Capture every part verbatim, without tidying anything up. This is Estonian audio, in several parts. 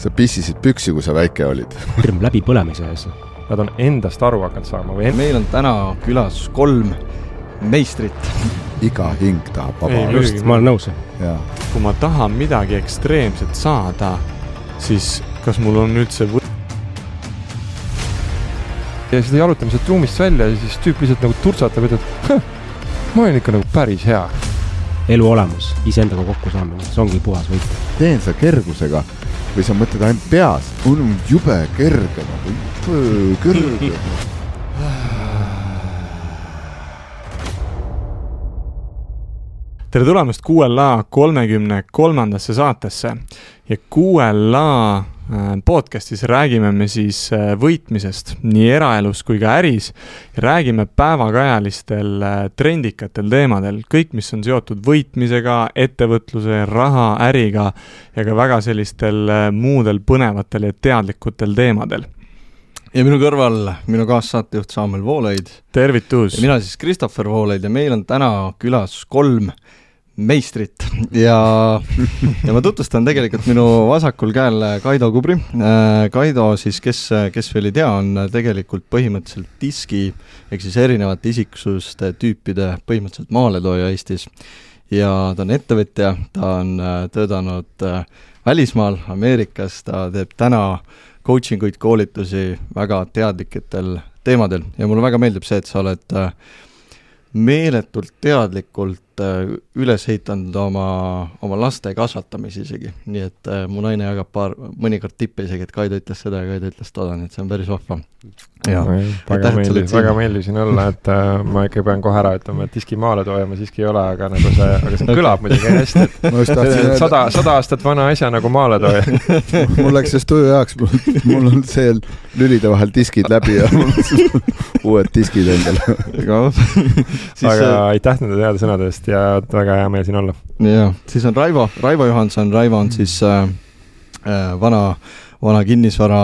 Sa pissisid püksi, kui sa väike olid. Hirm läbi põlemise ees. Nad on endast aru hakanud saama. Või end... Meil on täna külas kolm meistrit. Iga hing tahab vaba. Ei, just, ma olen nõus. Ja. Kui ma tahan midagi ekstreemset saada, siis kas mul on üldse või... Ja seda jalutame sealt ruumist välja ja siis tüüp lihtsalt nagu turtsatab, et ma olen ikka nagu päris hea. Elu olemus, iseendaga kokku saamine, see ongi puhas võit. Teen sa kergusega või sa mõtled ainult peas, on jube kerge, nagu kerge. Tere tulemast Q L A kolmekümne kolmandasse saatesse ja Q L A podcastis räägime me siis võitmisest nii eraelus kui ka äris ja räägime päevakajalistel trendikatel teemadel, kõik mis on seotud võitmisega, ettevõtluse, raha, äriga ja ka väga sellistel muudel põnevatel ja teadlikutel teemadel. Ja minu kõrval minu kaassaatejuht Samuel Voolaid. Tervitus! Ja mina siis Christopher Voolaid ja meil on täna külas kolm meistrit ja, ja ma tutvustan tegelikult minu vasakul käel Kaido Kubri. Kaido siis, kes, kes veel ei tea, on tegelikult põhimõtteliselt diski ehk siis erinevate isiksuste tüüpide põhimõtteliselt maaletooja Eestis ja ta on ettevõtja, ta on töötanud välismaal Ameerikas, ta teeb täna coachinguid, koolitusi väga teadliketel teemadel ja mulle väga meeldib see, et sa oled meeletult teadlikult üles heitanud oma, oma laste kasvatamisi isegi. Nii et äh, mu naine jagab paar, mõnikord tippe isegi, et Kaido ütles seda ja Kaido ütles toda, nii et see on päris vahva. Ja, väga meeldis, väga meeldis siin olla, et äh, ma ikka pean kohe ära ütlema, et diski maale tooja ma siiski ei ole, aga, nagu see, aga see kõlab muidugi hästi, et sada, sada aastat vana asja nagu maale tooja. Mul läks see studio jaoks, mul on see lülide vahel diskid läbi ja uued diskid endale. Aga aitäh nende teada sõnadest ja väga hea meel siin olla. Ja, siis on Raivo, Raivo Johanson, Raivo on siis äh, vana, vana kinnisvara,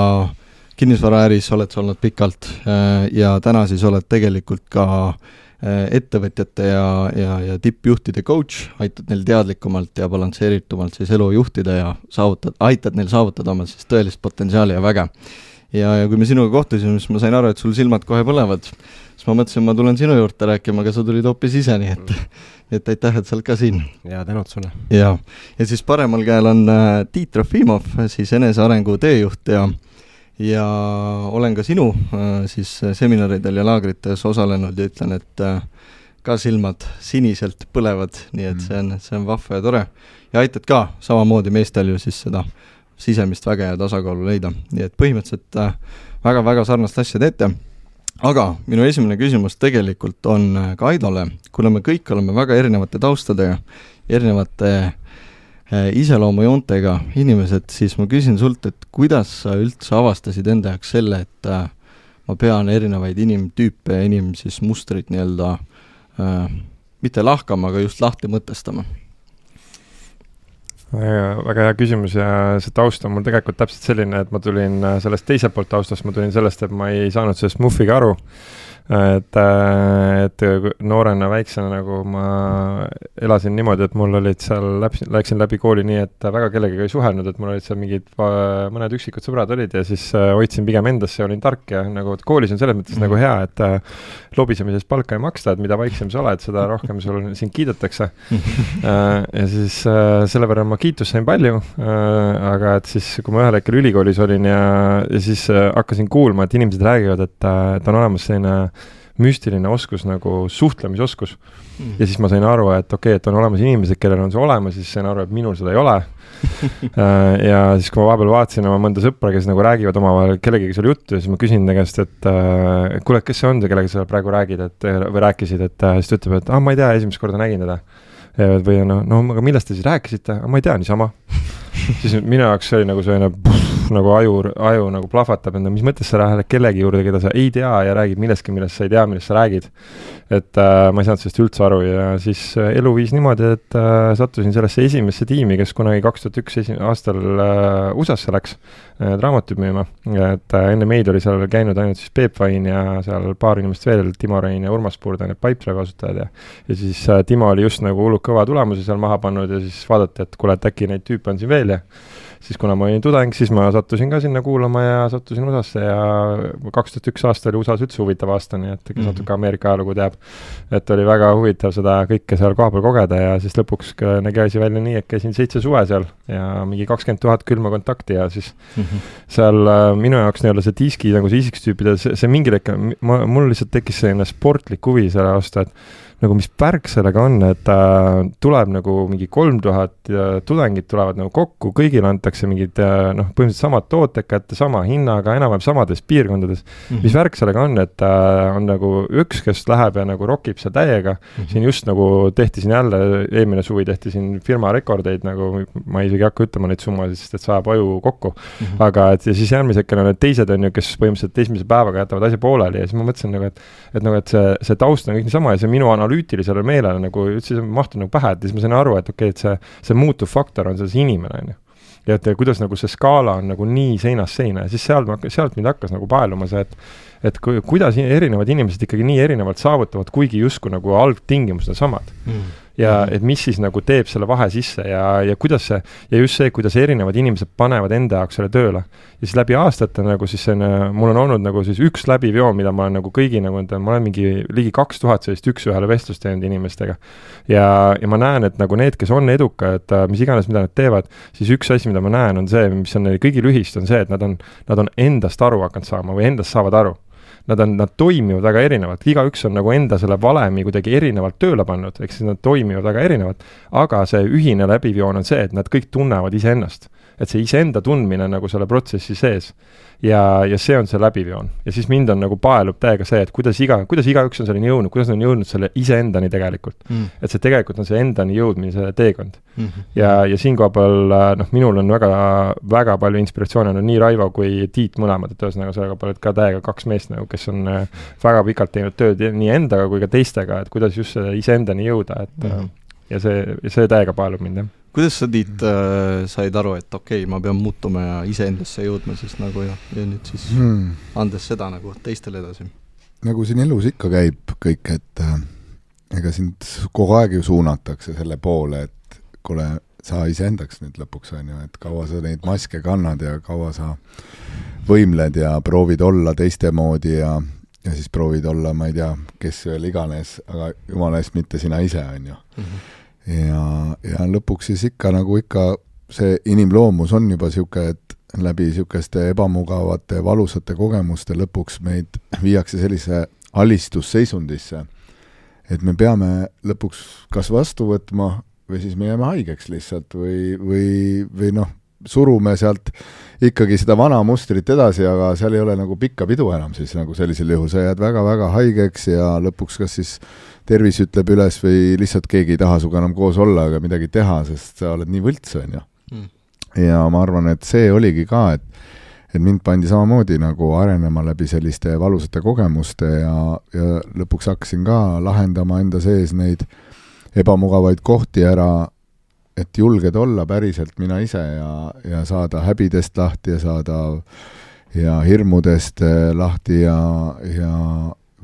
kinnisvara äris oled sa olnud pikalt äh, ja täna siis oled tegelikult ka äh, ettevõtjate ja, ja, ja tippjuhtide coach, aitad neil teadlikumalt ja balansseeritumalt siis elu juhtida ja saavutad, aitad neil saavutada oma siis tõelist potentsiaali ja väge. Ja, ja kui me sinuga kohtusime, siis ma sain aru, et sul silmad kohe põlevad, siis ma mõtlesin, ma tulen sinu juurde rääkima, aga sa tulid hoopis ise, nii et, et aitäh, et sa oled ka siin. Ja tänud sulle. Ja, ja siis paremal käel on äh, Tiit Trofimov, siis enesearengu teejuht ja, ja olen ka sinu äh, siis seminaridel ja laagrites osalenud ja ütlen, et äh, ka silmad siniselt põlevad, nii et see on, see on vahva ja tore. Ja aitad ka samamoodi meestel ju siis seda sisemist väge ja tasakaalu leida. Nii et põhimõtteliselt äh, väga-väga sarnast asja teete. Aga minu esimene küsimus tegelikult on Kaidole, kuna me kõik oleme väga erinevate taustade ja erinevate äh, iseloomujoontega inimesed, siis ma küsin sult, et kuidas sa üldse avastasid enda jaoks selle, et äh, ma pean erinevaid inimtüüpe ja inim siis mustrit nii-öelda äh, mitte lahkama, aga just lahti mõtestama. Väga, väga hea küsimus ja see taust on mul tegelikult täpselt selline, et ma tulin sellest teiselt poolt taustast, ma tulin sellest, et ma ei saanud sellest muffiga aru, et, et noorena väiksena nagu ma elasin niimoodi, et mul olid seal, läksin läbi kooli nii, et väga kellegagi ei suhelnud, et mul olid seal mingid mõned üksikud sõbrad olid ja siis hoidsin pigem endasse ja olin tark ja nagu koolis on selles mõttes mm. nagu hea, et lobisemisest palka ei maksta, et mida vaiksem sa oled, seda rohkem sul siin kiidetakse. Ja siis selle võrra ma kiitus sain palju, aga et siis kui ma ühel hetkel ülikoolis olin ja, ja siis hakkasin kuulma, et inimesed räägivad, et, et on olemas selline müstiline oskus nagu suhtlemisoskus mm. ja siis ma sain aru, et okei, okay, et on olemas inimesed, kellel on see olemas, siis sain aru, et minul seda ei ole ja siis kui ma vahepeal vaatasin oma mõnda sõpra, kes nagu räägivad omavahel kellegagi seal juttu ja siis ma küsin tegest, et äh, kuule, kes see on see, kellega sa praegu räägid et, või rääkisid, et äh, siis ta ütleb, et ah, ma ei tea, esimest korda nägin teda või no, no aga millest te siis rääkisite? Ah, ma ei tea, niisama siis minu jaoks oli nagu selline pff, nagu aju, aju nagu plahvatab enda, mis mõttes sa lähed kellegi juurde, keda sa ei tea ja räägid millestki, millest sa ei tea, millest sa räägid. Et äh, ma ei saanud sellest üldse aru ja siis äh, elu viis niimoodi, et äh, sattusin sellesse esimesse tiimi, kes kunagi kaks tuhat üks esi- aastal äh, U S A-sse läks äh, raamatut müüma. Et äh, enne meid oli seal käinud ainult siis Peep Vain ja seal paar inimest veel, Timo Rein ja Urmas Puurda, need Pipedrive kasutajad ja, ja siis äh, Timo oli just nagu hullult kõva tulemuse seal maha pannud ja siis vaadati, et kuule, et äkki neid tüüpe on siin veel ja siis kuna ma olin tudeng, siis ma sattusin ka sinna kuulama ja sattusin U S A-sse ja kaks tuhat üks aasta oli U S A-s üldse huvitav aasta, nii et kes mm-hmm. natuke Ameerika ajalugu teab, et oli väga huvitav seda kõike seal kohapeal kogeda ja siis lõpuks nägi asi välja nii, et käisin seitse suve seal ja mingi kakskümmend tuhat külma kontakti ja siis mm-hmm. seal äh, minu jaoks nii-olla see diski nagu see isiksustüüpide, see, see mingi lekka, mul lihtsalt tekkis selline sportlik huvi selle aasta, et nagu mis pärk sellega on, et äh, tuleb nagu mingi kolm tuhat tudengid tulevad nagu kokku, kõigile antakse mingid äh, noh, põhimõtteliselt samad tooted kätte, sama hinnaga, enam-vähem samades piirkondades. Mm-hmm. Mis värk sellega on, et äh, on nagu üks, kes läheb ja nagu rokib seal täiega. Mm-hmm. Siin just nagu tehti siin jälle, eelmine suvi tehti siin firma rekordeid, nagu ma isegi hakka ütlema neid summasid, sest et saab aju kokku. Mm-hmm. Aga et ja siis järgmisekene on need teised on ju, kes põhimõtteliselt esimese päevaga jätavad asja pooleli ja siis ma mõtlesin nagu, et, et, nagu, et see, see taust on kõik niisama ja see minu analüütilisele meelele nagu üldse mahtud nagu pähe, et siis ma sain aru, et okei, okay, et see, see muutuv faktor on selles inimene, on ju. Ja et kuidas nagu see skaala on nagu nii seinast seina ja siis sealt, sealt mind hakkas nagu paeluma see, et, et ku, kuidas erinevad inimesed ikkagi nii erinevalt saavutavad, kuigi justkui nagu algtingimused on samad. Mm. Ja et mis siis nagu teeb selle vahe sisse ja, ja kuidas see, ja just see, kuidas erinevad inimesed panevad enda jaoks selle tööle. Ja siis läbi aastate nagu siis see, mul on olnud nagu siis üks läbivjoon, mida ma olen nagu kõigi nagu, ma olen mingi ligi kaks tuhat sellist üks-ühele vestlust teinud inimestega. Ja, ja ma näen, et nagu need, kes on edukad, mis iganes, mida nad teevad, siis üks asi, mida ma näen, on see, mis on neil kõigil ühist, on see, et nad on, nad on endast aru hakanud saama või endast saavad aru. Nad, on, nad toimivad väga erinevalt, igaüks on nagu enda selle valemi kuidagi erinevalt tööle pannud, eks siis nad toimivad väga erinevalt, aga see ühine läbivjoon on see, et nad kõik tunnevad iseennast, et see iseenda tundmine nagu selle protsessi sees ja, ja see on see läbivjoon ja siis mind on nagu paelub täiega see, et kuidas, iga, kuidas igaüks on selleni jõudnud, kuidas on jõudnud selle iseendani tegelikult, mm. et see tegelikult on see endani jõudmine, see teekond mm-hmm. ja, ja siin koha peal, noh, minul on väga, väga palju inspiratsioone on nii Raivo kui Tiit mõlemad, et ühesõnaga sellega palju ka täiega kaks meest nagu, kes on väga pikalt teinud tööd nii endaga kui ka teistega, et kuidas just iseendani jõuda, et mm. ja see, see täiega paelub mind, jah. Kuidas sa, Tiit, äh, said aru, et okei, okay, ma pean muutuma ja iseendasse jõudma siis nagu ja, ja nüüd siis hmm. andes seda nagu teistele edasi? Nagu siin elus ikka käib kõik, et äh, ega sind kogu aeg ju suunatakse selle poole, et kuule, sa iseendaks nüüd lõpuks on ju, et kaua sa neid maske kannad ja kaua sa võimled ja proovid olla teiste moodi ja, ja siis proovid olla, ma ei tea, kes veel iganes, aga jumala eest mitte sina ise on ju. Mm-hmm. Ja, ja lõpuks siis ikka nagu ikka see inimloomus on juba siuke, et läbi siukeste ebamugavate, valusate kogemuste lõpuks meid viiakse sellise alistusseisundisse, et me peame lõpuks kas vastu võtma või siis me jääme haigeks lihtsalt või, või, või noh, surume sealt ikkagi seda vana mustrit edasi, aga seal ei ole nagu pikka pidu enam siis nagu sellisel juhul, sa jääd väga-väga haigeks ja lõpuks kas siis tervis ütleb üles või lihtsalt keegi ei taha suga enam koos olla, aga midagi teha, sest sa oled nii võlts, on ju. Mm. Ja ma arvan, et see oligi ka, et, et mind pandi samamoodi nagu arenema läbi selliste valusate kogemuste ja, ja lõpuks hakkasin ka lahendama enda sees neid ebamugavaid kohti ära, et julged olla päriselt mina ise ja, ja saada häbidest lahti ja saada ja hirmudest lahti ja, ja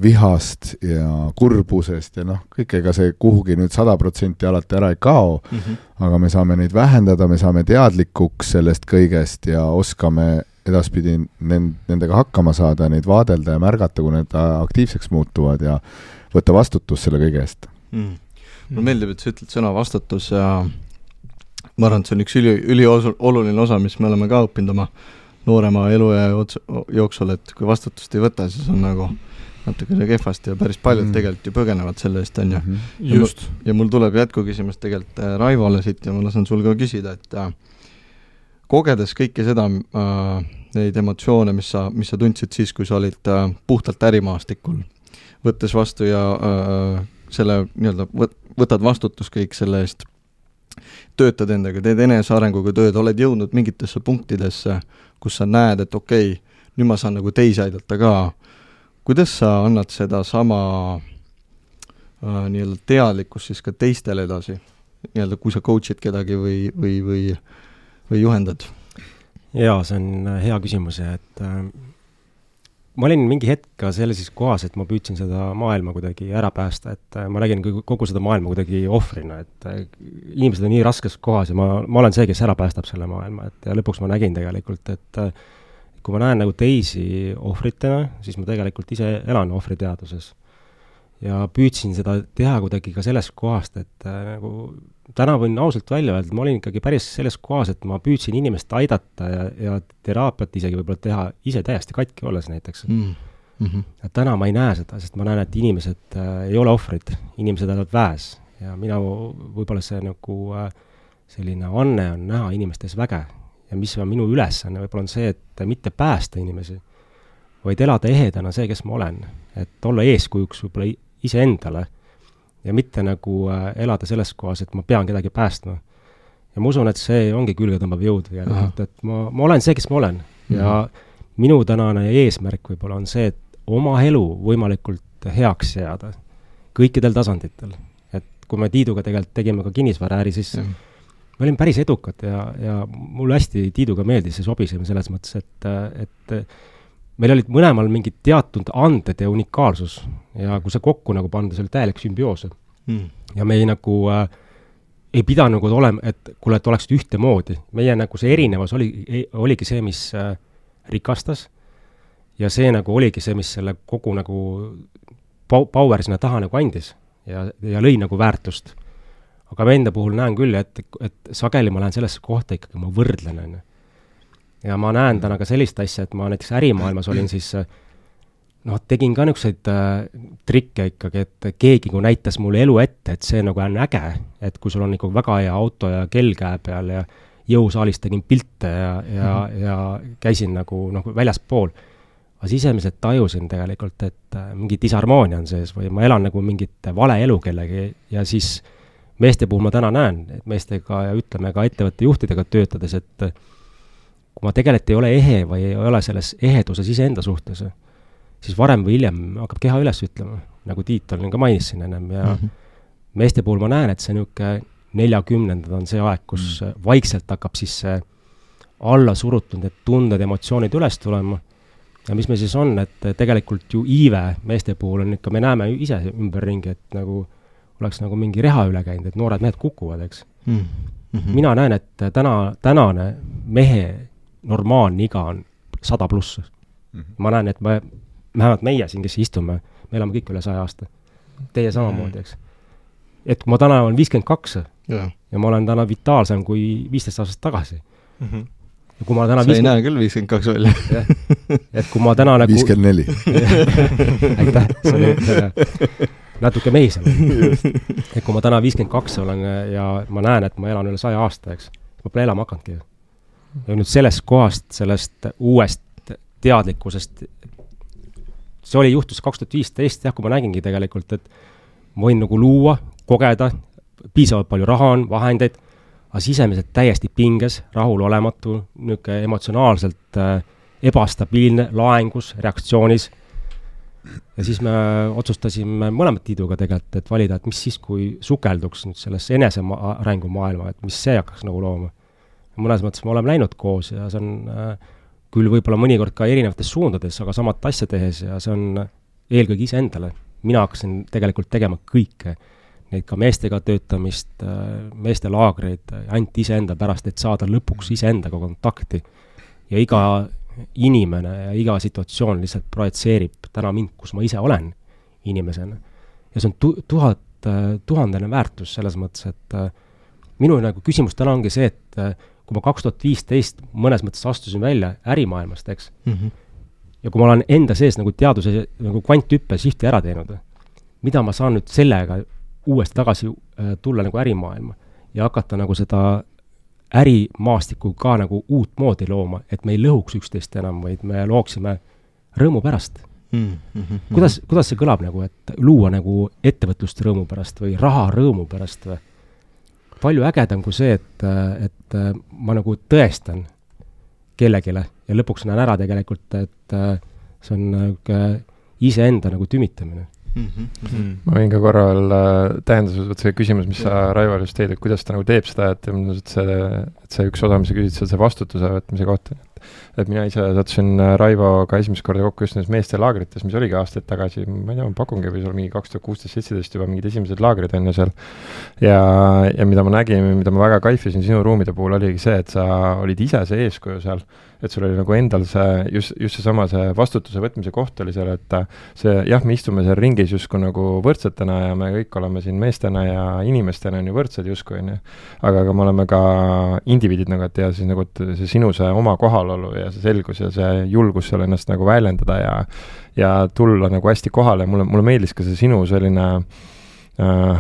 vihast ja kurbusest ja noh, kõik ega see kuhugi nüüd sada protsenti alati ära ei kao, mm-hmm. aga me saame neid vähendada, me saame teadlikuks sellest kõigest ja oskame edaspidi nendega hakkama saada, neid vaadelda ja märgata, kui need aktiivseks muutuvad ja võtta vastutus selle kõige eest. Mm. Mulle meeldib, et sa ütled sõna vastutus ja ma arvan, et see on üks üli, üli oluline osa, mis me oleme ka õppinud oma noorema elu ja jooksul, et kui vastutust ei võta, siis on nagu natuke see kehvasti ja päris paljud mm. tegelikult ju põgenevad selle eest, on ju. Mm-hmm. Just. Ja, ja mul tuleb jätkuküsimus tegelikult Raivole siit ja ma lasen sul ka küsida, et äh, kogedes kõike seda, äh, neid emotsioone, mis sa, mis sa tundsid siis, kui sa olid äh, puhtalt ärimaastikul, võttes vastu ja äh, selle nii-öelda võt, võtad vastutus kõik selle eest, töötad endaga, teed enesearenguga tööd, oled jõudnud mingitesse punktidesse, kus sa näed, et okei, okay, nüüd ma saan nagu teisi aidata ka. Kuidas sa annad seda sama äh, nii-öelda teadlikkust siis ka teistele edasi, nii-öelda kui sa coach'id kedagi või, või, või, või juhendad? Jaa, see on hea küsimus, et äh, ma olin mingi hetk ka sellises kohas, et ma püüdsin seda maailma kuidagi ära päästa, et ma nägin kogu seda maailma kuidagi ohvrina, et inimesed on nii raskes kohas ja ma, ma olen see, kes ära päästab selle maailma, et ja lõpuks ma nägin tegelikult, et kui ma näen nagu teisi ohvritena, siis ma tegelikult ise elan ohvriteaduses. Ja püüdsin seda teha kuidagi ka sellest kohast, et äh, nagu täna võin ausalt välja öelda, ma olin ikkagi päris selles kohas, et ma püüdsin inimest aidata ja, ja teraapiat isegi võib-olla teha ise täiesti katki olles näiteks. Mm. Mm-hmm. Ja täna ma ei näe seda, sest ma näen, et inimesed äh, ei ole ohvrid, inimesed elavad väes ja mina võib-olla see nagu äh, selline anne on näha inimestes väge ja mis on minu ülesanne, võib-olla on see, et mitte päästa inimesi, vaid elada ehedana see, kes ma olen, et olla eeskujuks võib-olla iseendale ja mitte nagu äh, elada selles kohas, et ma pean kedagi päästma. Ja ma usun, et see ongi külgetõmbav jõud tegelikult, et ma, ma olen see, kes ma olen. Mm-hmm. Ja minu tänane eesmärk võib-olla on see, et oma elu võimalikult heaks jääda kõikidel tasanditel. Et kui me Tiiduga tegelikult tegime ka kinnisvaraäri, siis mm. me olime päris edukad ja, ja mulle hästi Tiiduga meeldis ja sobisime selles mõttes, et, et meil olid mõlemal mingid teatud anded ja unikaalsus ja kui see kokku nagu panda, see oli täielik sümbioos. Mm. Ja me ei nagu äh, ei pidanud nagu olema, et kuule, et oleksid ühtemoodi. Meie nagu see erinevus oli, oligi see, mis äh, rikastas ja see nagu oligi see, mis selle kogu nagu power sinna taha nagu andis ja, ja lõi nagu väärtust. Aga ma enda puhul näen küll, et, et sageli ma lähen sellesse kohta ikkagi, ma võrdlen enne. Ja ma näen täna ka sellist asja, et ma näiteks ärimaailmas olin siis, noh, tegin ka niisuguseid äh, trikke ikkagi, et keegi kui näitas mulle elu ette, et see nagu on äge, et kui sul on nagu väga hea auto ja kell käe peal ja jõusaalis tegin pilte ja, ja, ja käisin nagu, nagu väljaspool. Aga sisemiselt tajusin tegelikult, et äh, mingi disharmoonia on sees või ma elan nagu mingit vale elu kellegi ja siis meeste puhul ma täna näen, et meestega ja ütleme ka ettevõtte juhtidega töötades, et kui ma tegelikult ei ole ehe või ei ole selles eheduses iseenda suhtes, siis varem või hiljem hakkab keha üles ütlema, nagu Tiit olin ka mainis siin ennem ja mm-hmm. meeste puhul ma näen, et see niisugune neljakümnendad on see aeg, kus mm. vaikselt hakkab siis see alla surutud, need tunded, emotsioonid üles tulema ja mis me siis on, et tegelikult ju iive meeste puhul on ikka, me näeme ise ümberringi, et nagu oleks nagu mingi reha üle käinud, et noored mehed kukuvad, eks. Mm-hmm. Mina näen, et täna, tänane mehe normaalne iga on sada pluss. Mm-hmm. Ma näen, et me, vähemalt meie siin, kes istume, me elame kõik üle saja aasta. Teie samamoodi, eks. Et kui ma täna olen viiskümmend kaks ja. ja ma olen täna vitaalsem kui viisteist aastast tagasi. Mm-hmm. Ja kui ma täna sa viiskümmend... ei näe küll viiskümmend kaks välja. Et kui ma täna nagu... viiskümmend neli. Aitäh, see oli natuke mehisem. Et kui ma täna viiskümmend kaks olen ja ma näen, et ma elan üle saja aasta, eks, ma pole elama hakanudki. Ja nüüd sellest kohast, sellest uuest teadlikkusest, see oli juhtus kaks tuhat viisteist, jah, kui ma nägingi tegelikult, et ma võin nagu luua, kogeda, piisavalt palju raha on, vahendeid, aga sisemiselt täiesti pinges, rahul olematu, niisugune emotsionaalselt äh, ebastabiilne, laengus, reaktsioonis. Ja siis me otsustasime mõlemad Tiiduga tegelikult, et valida, et mis siis, kui sukelduks nüüd sellesse enesearengu maailma, et mis see hakkaks nagu looma. Mõnes mõttes me oleme läinud koos ja see on äh, küll võib-olla mõnikord ka erinevates suundades, aga samat asja tehes ja see on eelkõige ise endale. Mina hakkasin tegelikult tegema kõike, neid ka meestega töötamist, äh, meeste laagreid, ainult ise enda pärast, et saada lõpuks ise endaga kontakti. Ja iga inimene ja iga situatsioon lihtsalt projitseerib täna mind, kus ma ise olen inimesena. Ja see on tu- tuhat, äh, tuhandene väärtus selles mõttes, et äh, minu nagu küsimus täna ongi see, et äh, kui ma kaks tuhat viisteist mõnes mõttes astusin välja ärimaailmast, eks, mm-hmm. ja kui ma olen enda sees nagu teaduse nagu kvanthüppe shifti ära teinud, mida ma saan nüüd sellega uuesti tagasi äh, tulla nagu ärimaailma ja hakata nagu seda ärimaastiku ka nagu uut moodi looma, et me ei lõhuks üksteist enam, vaid me looksime rõõmu pärast. Mm-hmm. Kuidas, kuidas see kõlab nagu, et luua nagu ettevõtlust rõõmu pärast või raha rõõmu pärast või? Palju ägedam kui see, et, et ma nagu tõestan kellegile ja lõpuks näen ära tegelikult, et see on iseenda nagu tümitamine. Mm-hmm. Ma võin ka korra veel tähendused, võt see küsimus, mis sa Raivo just teed, et kuidas ta nagu teeb seda, et, et, see, et see üks osa, mis sa küsid, see vastutuse võtmise kohta. Et mina ise sattusin Raivoga esimest korda kokku just nendes meeste laagrites, mis oligi aastaid tagasi, ma ei tea, ma pakungi või sul mingi kaks tuhat kuusteist seitseteist juba mingid esimesed laagrid on ju seal. Ja, ja mida ma nägin, mida ma väga kaifisin sinu ruumide puhul oligi see, et sa olid ise see eeskuju seal, et sul oli nagu endal see, just, just seesama see vastutuse võtmise koht oli seal, et see, jah, me istume seal ringis justkui nagu võrdsetena ja me kõik oleme siin meestena ja inimestena on ju võrdsed justkui, on ju. Aga, aga me oleme ka indiviidid nagu, et ja siis nagu see sinu see oma kohalolu ja see selgus ja see julgus seal ennast nagu väljendada ja, ja tulla nagu hästi kohale. Mulle, mulle meeldis ka see sinu selline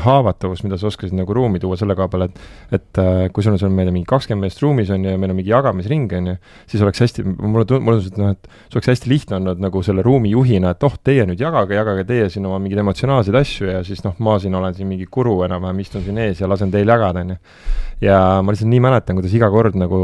haavatavus, mida sa oskasid nagu ruumi tuua selle koha peale, et, et kui sul on seal meil mingi kakskümmend meest ruumis on ja meil on mingi jagamisring on ju, siis oleks hästi, mulle tundus, et, no, et see oleks hästi lihtne olnud nagu selle ruumi juhina, et oh, teie nüüd jagage, jagage teie siin oma mingeid emotsionaalseid asju ja siis noh, ma siin olen siin mingi kuru enam-vähem, istun siin ees ja lasen teil jagada on ju. Ja ma lihtsalt nii mäletan, kuidas iga kord nagu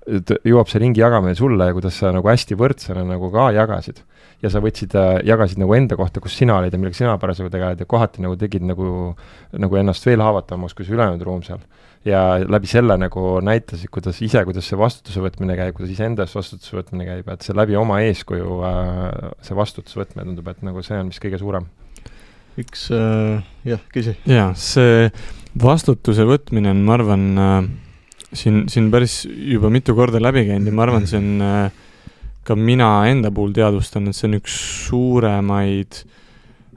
jõuab see ringi jagamine sulle ja kuidas sa nagu hästi võrdsena nagu ka jagasid. Ja sa võtsid, jagasid nagu enda kohta, kus sina olid ja millega sina parasjagu tegeled ja kohati nagu tegid nagu, nagu ennast veel haavatavamaks, kui see ülejäänud ruum seal. Ja läbi selle nagu näitasid, kuidas ise, kuidas see vastutuse võtmine käib, kuidas ise endast vastutuse võtmine käib, et see läbi oma eeskuju see vastutuse võtmine tundub, et nagu see on vist kõige suurem. Üks, äh, jah, küsi. Jaa, see vastutuse võtmine on, ma arvan, äh, siin, siin päris juba mitu korda läbi käinud ja ma arvan, see on äh, ka mina enda puhul teadvustan, et see on üks suuremaid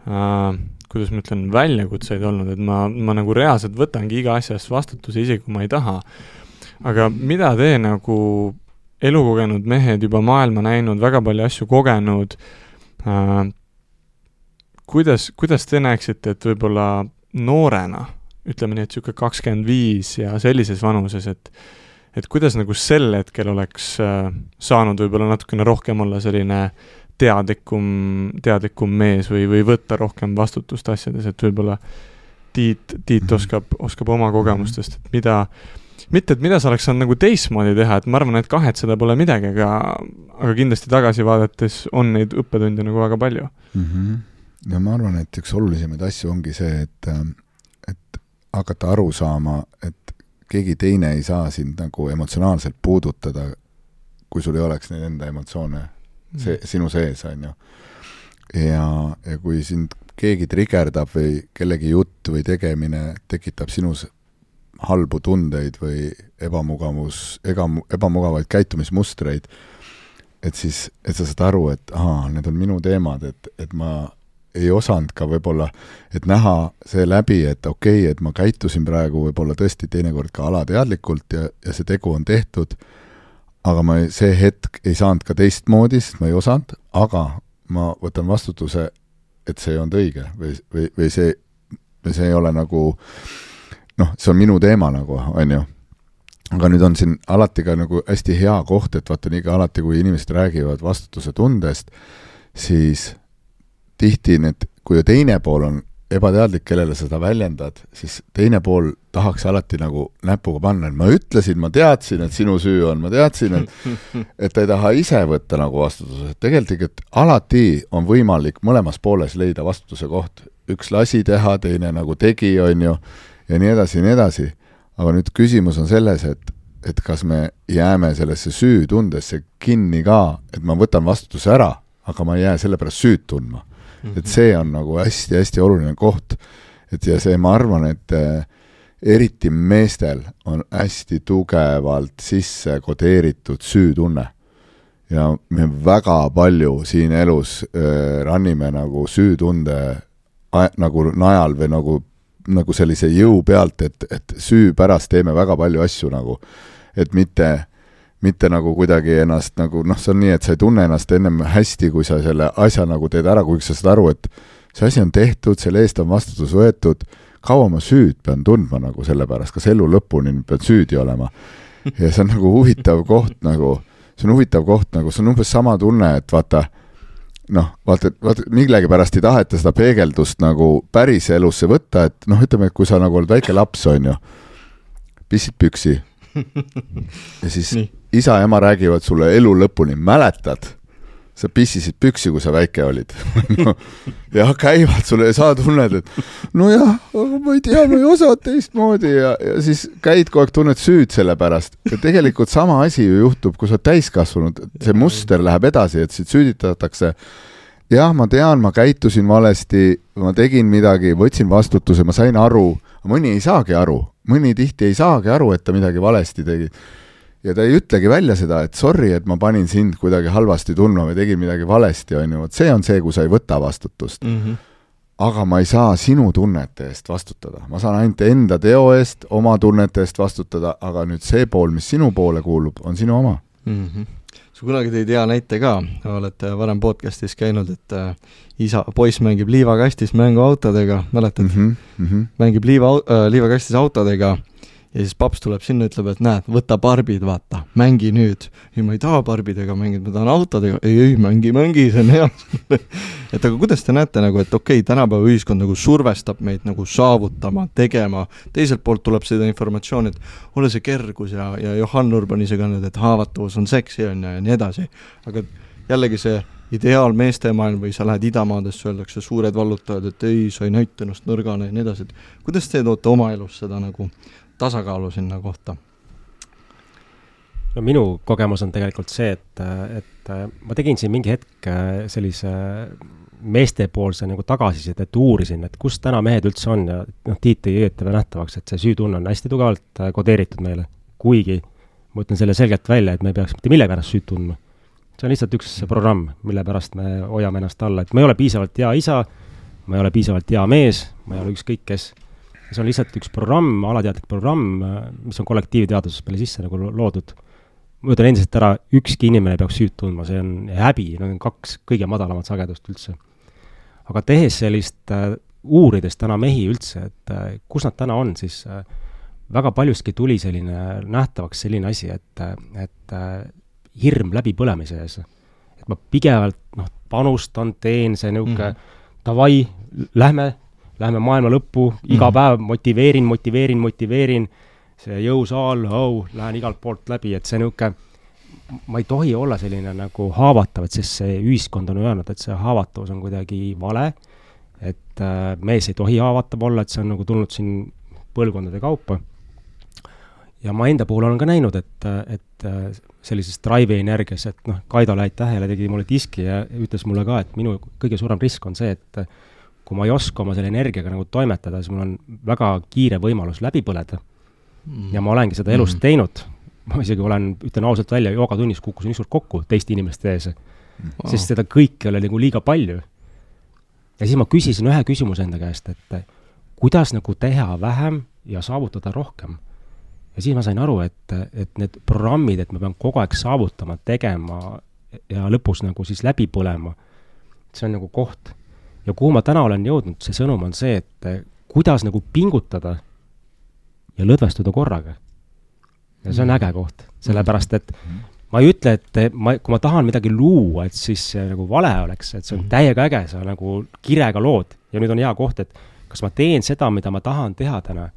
äh, kuidas ma ütlen, väljakutseid olnud, et ma, ma nagu reaalselt võtangi iga asjast vastutuse, isegi kui ma ei taha. Aga mida te nagu elukogenud mehed juba maailma näinud, väga palju asju kogenud, äh, kuidas, kuidas te näeksite, et võib-olla noorena, ütleme nii, et siuke kakskümmend viis ja sellises vanuses, et et kuidas nagu sel hetkel oleks äh, saanud võib-olla natukene rohkem olla selline teadlikum, teadlikum mees või, või võtta rohkem vastutust asjades, et võib-olla Tiit, Tiit oskab, oskab oma kogemustest, et mida, mitte, et mida sa oleks saanud nagu teistmoodi teha, et ma arvan, et kahetseda pole midagi, aga, aga kindlasti tagasi vaadates on neid õppetunde nagu väga palju. Mm-hmm. Ja ma arvan, et üks olulisemaid asju ongi see, et, et hakata aru saama, et keegi teine ei saa sind nagu emotsionaalselt puudutada, kui sul ei oleks neid enda emotsioone see, sinu sees, on ju. Ja, ja kui sind keegi trigerdab või kellegi jutt või tegemine tekitab sinus halbu tundeid või ebamugavus, ega, ebamugavaid käitumismustreid, et siis, et sa saad aru, et aha, need on minu teemad, et, et ma ei osanud ka võib-olla, et näha see läbi, et okei, okay, et ma käitusin praegu võib-olla tõesti teinekord ka alateadlikult ja, ja see tegu on tehtud, aga ma see hetk ei saanud ka teistmoodi, sest ma ei osanud, aga ma võtan vastutuse, et see on õige või, või, või see, või see ei ole nagu, noh, see on minu teema nagu, on ju. Aga nüüd on siin alati ka nagu hästi hea koht, et vaata nii ka alati, kui inimesed räägivad vastutuse tundest, siis tihti need, kui teine pool on ebateadlik, kellele seda väljendad, siis teine pool tahaks alati nagu näpuga panna, et ma ütlesin, ma teadsin, et sinu süü on, ma teadsin, et, et ta ei taha ise võtta nagu vastutuse. Tegelikult, et alati on võimalik mõlemas pooles leida vastutuse koht. Üks lasi teha, teine nagu tegi, on ju, ja nii edasi, nii edasi. Aga nüüd küsimus on selles, et, et kas me jääme sellesse süütundesse kinni ka, et ma võtan vastutuse ära, aga ma ei jää selle pärast süüd tundma. Et see on nagu hästi-hästi oluline koht. Et ja see, ma arvan, et äh, eriti meestel on hästi tugevalt sisse kodeeritud süütunne. Ja me väga palju siin elus äh, rannime nagu süütunde a, nagu najal või nagu, nagu sellise jõu pealt, et, et süü pärast teeme väga palju asju nagu, et mitte mitte nagu kuidagi ennast nagu, noh, see on nii, et sa ei tunne ennast ennem hästi, kui sa selle asja nagu teed ära, kui sa saad aru, et see asi on tehtud, selle eest on vastutus võetud, kaua ma süüd pean tundma nagu selle pärast, kas elu lõpuni pean süüdi olema. Ja see on nagu huvitav koht nagu, see on huvitav koht nagu, see on umbes sama tunne, et vaata, noh, vaata, vaata, millegi pärast ei taheta seda peegeldust nagu päris elusse võtta, et noh, ütleme, et kui sa nagu oled väike laps, on ju, pissid püksi, ja siis nii. Isa ja ema räägivad sulle elu lõpuni, mäletad, sa pissisid püksi, kui sa väike olid. no, ja käivad sulle ja sa tunned, et nojah, ma ei tea, ma ei osa teistmoodi ja, ja siis käid kogu aeg, tunned süüd selle pärast. Ja tegelikult sama asi ju juhtub, kui sa täiskasvanud, see muster läheb edasi, et siit süüditatakse. Jah, ma tean, ma käitusin valesti, ma tegin midagi, võtsin vastutuse, ma sain aru, mõni ei saagi aru, mõni tihti ei saagi aru, et ta midagi valesti tegi. Ja ta ei ütlegi välja seda, et sorry, et ma panin sind kuidagi halvasti tundma või tegin midagi valesti, on ju. See on see, kui sa ei võta vastutust. Mm-hmm. Aga ma ei saa sinu tunnete eest vastutada. Ma saan ainult enda teo eest, oma tunnete eest vastutada, aga nüüd see pool, mis sinu poole kuulub, on sinu oma. Mm-hmm. Sa kunagi tõid hea näite ka, olete varem podcastis käinud, et isa, poiss mängib liivakastis mänguautodega, mäletad? Mm-hmm. Mm-hmm. Mängib liiva, äh, liivakastis autodega ja siis paps tuleb sinna, ütleb, et näed, võta barbid, vaata, mängi nüüd. Ja ma ei taha barbidega mängida, ma tahan autodega. Ei, ei, mängi, mängi, see on hea. et aga kuidas te näete, nagu, et okei, okay, tänapäeva ühiskond nagu survestab meid nagu saavutama, tegema. Teiselt poolt tuleb seda informatsioon, et ole see kergus ja, ja Johan Urban ise kannad, et haavatavus on seksi on ja, ja nii edasi. Aga jällegi see ideaal meestemaailm või sa lähed idamaadesse, öeldakse suured vallutajad, et ei, sa ei näita ennast nõrgana ja nii edasi. Kuidas te toote oma elus seda nagu tasakaalu sinna kohta? No minu kogemus on tegelikult see, et, et ma tegin siin mingi hetk sellise meestepoolse nagu tagasised, et uurisin, et kus täna mehed üldse on ja noh, Tiit ei õieta nähtavaks, et see süütunne on hästi tugevalt kodeeritud meile, kuigi ma ütlen selle selgelt välja, et me ei peaks mitte mille pärast süüd tundma. See on lihtsalt üks programm, mille pärast me hoiame ennast alla, et ma ei ole piisavalt hea isa, ma ei ole piisavalt hea mees, ma ei ole ükskõik kes. See on lihtsalt üks programm, alateadlik programm, mis on kollektiivteaduses peale sisse nagu loodud. Ma ütlen endiselt ära, ükski inimene peaks süüd tundma, see on häbi, need on kaks kõige madalamat sagedust üldse. Aga tehes sellist äh, uurides täna mehi üldse, et äh, kus nad täna on, siis äh, väga paljuski tuli selline nähtavaks selline asi, et, et äh, hirm läbi põlemise ees. Et ma pigevalt noh, panustan, teen see nõuke, mm-hmm. davai, lähme, lähme maailma lõppu, iga mm-hmm. päev motiveerin, motiveerin, motiveerin, see jõusaal, oh, lähen igalt poolt läbi, et see nõuke, ma ei tohi olla selline nagu haavatav, et sest see ühiskond on öelnud, et see haavatavus on kuidagi vale, et äh, mees ei tohi haavatav olla, et see on nagu tulnud siin põlvkondade kaupa. Ja ma enda puhul olen ka näinud, et, et sellises drive energias, et noh, Kaido läid tähele, tegi mulle diski ja ütles mulle ka, et minu kõige suurem risk on see, et kui ma ei oska oma selle energiaga nagu toimetada, siis mul on väga kiire võimalus läbi põleda. Mm. Ja ma olengi seda elust mm. teinud. Ma isegi olen, ütlen ausalt välja, joogatunnis kukkusin ükskord kokku teiste inimeste ees, wow. sest seda kõike oli nagu liiga palju. Ja siis ma küsisin ühe küsimuse enda käest, et kuidas nagu teha vähem ja saavutada rohkem. Ja siis ma sain aru, et, et need programmid, et ma pean kogu aeg saavutama, tegema ja lõpus nagu siis läbi põlema, see on nagu koht. Ja kuhu ma täna olen jõudnud, see sõnum on see, et kuidas nagu pingutada ja lõdvestuda korraga. Ja see on äge koht, sellepärast, et ma ei ütle, et ma, kui ma tahan midagi luua, et siis see nagu vale oleks, et see on täiega äge, see on nagu kirega lood. Ja nüüd on hea koht, et kas ma teen seda, mida ma tahan teha täna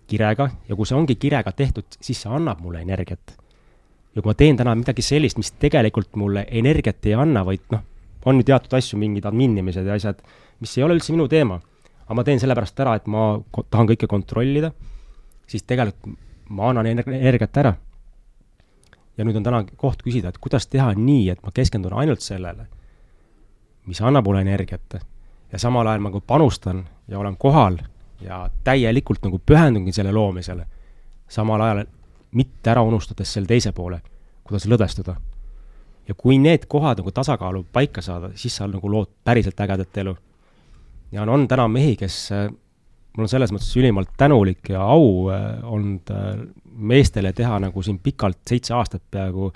kirega, ja kui see ongi kirega tehtud, siis see annab mulle energiat. Ja kui ma teen täna midagi sellist, mis tegelikult mulle energiat ei anna, vaid noh, on ju teatud asju, mingid adminimised ja asjad, mis ei ole üldse minu teema, aga ma teen sellepärast ära, et ma tahan kõike kontrollida, siis tegelikult ma annan energiat ära. Ja nüüd on täna koht küsida, et kuidas teha nii, et ma keskendun ainult sellele, mis annab mulle energiat. Ja samal ajal ma panustan ja olen kohal ja täielikult nagu pühendungi selle loomisele, samal ajal mitte ära unustades selle teise poole, kuidas lõdvestuda. Ja kui need kohad nagu tasakaalu paika saada, siis sa nagu lood päriselt ägedat elu. Ja on, on täna mehi, kes mul on selles mõttes ülimalt tänulik ja au olnud meestele teha nagu siin pikalt seitse aastat peaaegu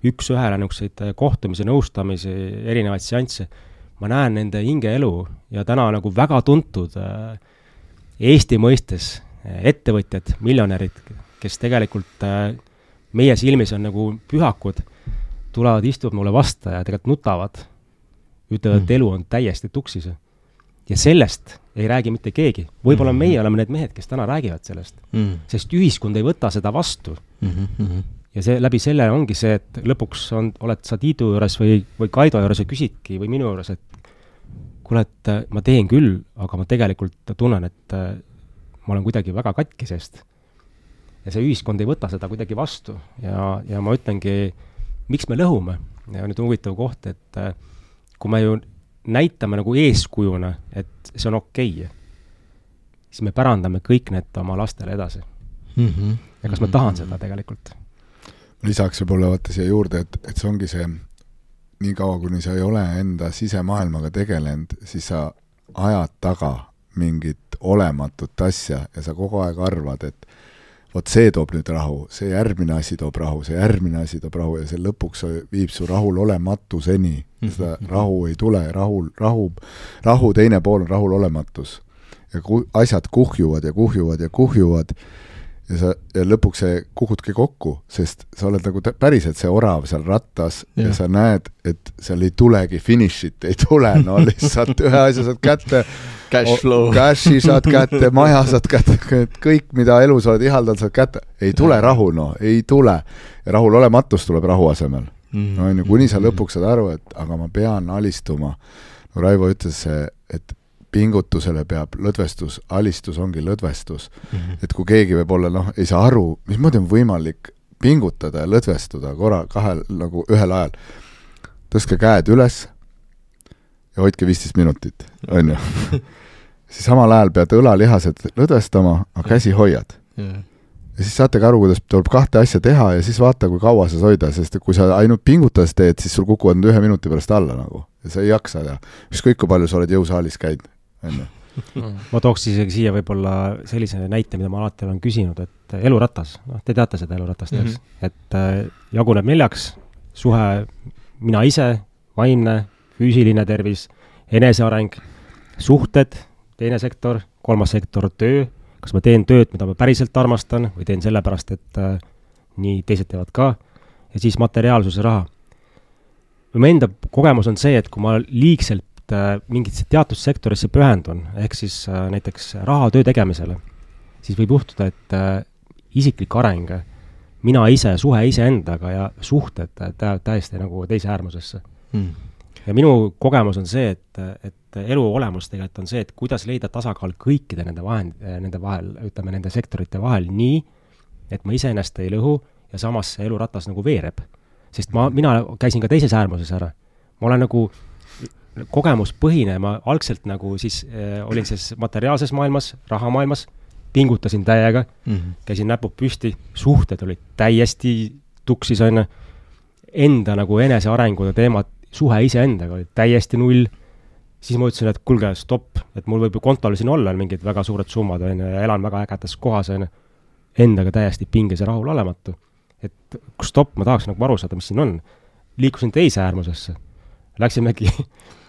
üks ühele niisuguseid kohtumisi, nõustamisi, erinevaid seansse. Ma näen nende hingeelu ja täna nagu väga tuntud Eesti mõistes ettevõtjad, miljonärid, kes tegelikult meie silmis on nagu pühakud, tulevad, istuvad mulle vasta ja tegelikult nutavad, ütlevad, et elu on täiesti tuksis. Ja sellest ei räägi mitte keegi. Võib-olla meie oleme need mehed, kes täna räägivad sellest, mm. sest ühiskond ei võta seda vastu. Mm-hmm. ja see, läbi selle ongi see, et lõpuks on, oled sa Tiidu juures või, või Kaido juures ja küsidki või minu juures, et kuule, et ma teen küll, aga ma tegelikult tunnen, et ma olen kuidagi väga katki seest. Ja see ühiskond ei võta seda kuidagi vastu ja, ja ma ütlengi, miks me lõhume. Ja nüüd on huvitav koht, et kui me ju näitame nagu eeskujuna, et see on okei, siis me pärandame kõik need oma lastele edasi. Mm-hmm. Ja kas ma tahan seda tegelikult? Lisaks võib-olla vaata siia juurde, et, et see ongi see, nii kaua, kuni sa ei ole enda sisemaailmaga tegelenud, siis sa ajad taga mingit olematut asja ja sa kogu aeg arvad, et vot see toob nüüd rahu, see järgmine asi toob rahu, see järgmine asi toob rahu ja see lõpuks viib su rahul olematuseni. Seda rahu ei tule, rahu, rahu, rahu teine pool on rahul olematus. Ja ku, asjad kuhjuvad ja kuhjuvad ja kuhjuvad ja, sa, ja lõpuks see kuhudki kokku, sest sa oled nagu päriselt see orav seal rattas ja, ja sa näed, et seal ei tulegi finišit, ei tule, no lihtsalt ühe asja saad kätte cash flow. Cashi saad kätte, maja saad kätte, kõik, mida elus oled ihaldanud, saad kätte. Ei tule rahu, no, ei tule. Ja rahul olematus tuleb rahu asemel. Mm-hmm. No, on ju, kuni sa lõpuks saad aru, et aga ma pean alistuma. No Raivo ütles, et pingutusele peab lõdvestus, alistus ongi lõdvestus. Mm-hmm. Et kui keegi võib olla, noh, ei saa aru, mismoodi on võimalik pingutada ja lõdvestuda korra, kahel, nagu ühel ajal. Tõstke käed üles ja hoidke viisteist minutit, on ju. Siis samal ajal pead õlalihased lõdvestama, aga käsi hoiad. Yeah. Ja siis saategi aru, kuidas tuleb kahte asja teha ja siis vaata, kui kaua sa hoida, sest kui sa ainult pingutades teed, siis sul kukuvad ühe minuti pärast alla nagu. Ja sa ei jaksa ja ükskõik kui palju sa oled jõusaalis käid. Ma tooks isegi siia võib-olla sellise näite, mida ma alati olen küsinud, et eluratas, noh, te teate seda eluratast, mm-hmm. et äh, jaguneb neljaks, suhe mina ise, vaimne, füüsiline tervis, eneseareng, suhted, teine sektor, kolmas sektor, töö, kas ma teen tööd, mida ma päriselt armastan või teen sellepärast, et äh, nii teised teevad ka, ja siis materiaalsuse raha. Või enda kogemus on see, et kui ma liigselt äh, mingit teatud sektorisse pühendun, ehk siis äh, näiteks raha töö tegemisele, siis võib juhtuda, et äh, isiklik areng, mina ise, suhe ise endaga ja suhted tä- täiesti nagu teise äärmusesse. Hmm. Ja minu kogemus on see, et, et elu olemus tegelikult on see, et kuidas leida tasakaal kõikide nende, vahend, nende vahel, ütleme nende sektorite vahel nii, et ma iseennast ei lõhu ja samas see eluratas nagu veereb. Sest ma, mina käisin ka teises äärmuses ära. Ma olen nagu kogemuspõhine, ma algselt nagu siis äh, olin siis materiaalses maailmas, rahamaailmas, pingutasin täiega, mm-hmm. käisin näpud püsti, suhted olid täiesti tuksis, on enda nagu enesearengude teemad, suhe ise endaga oli täiesti null, siis ma ütlesin, et kulge, stopp, et mul võib ju kontol siin olla mingid väga suured summad, on, ja elan väga ägedas kohas, on, endaga täiesti pinges ja rahul olematu. Et stopp, ma tahaks nagu aru saada, mis siin on. Liikusin teise äärmusesse. Läksimegi,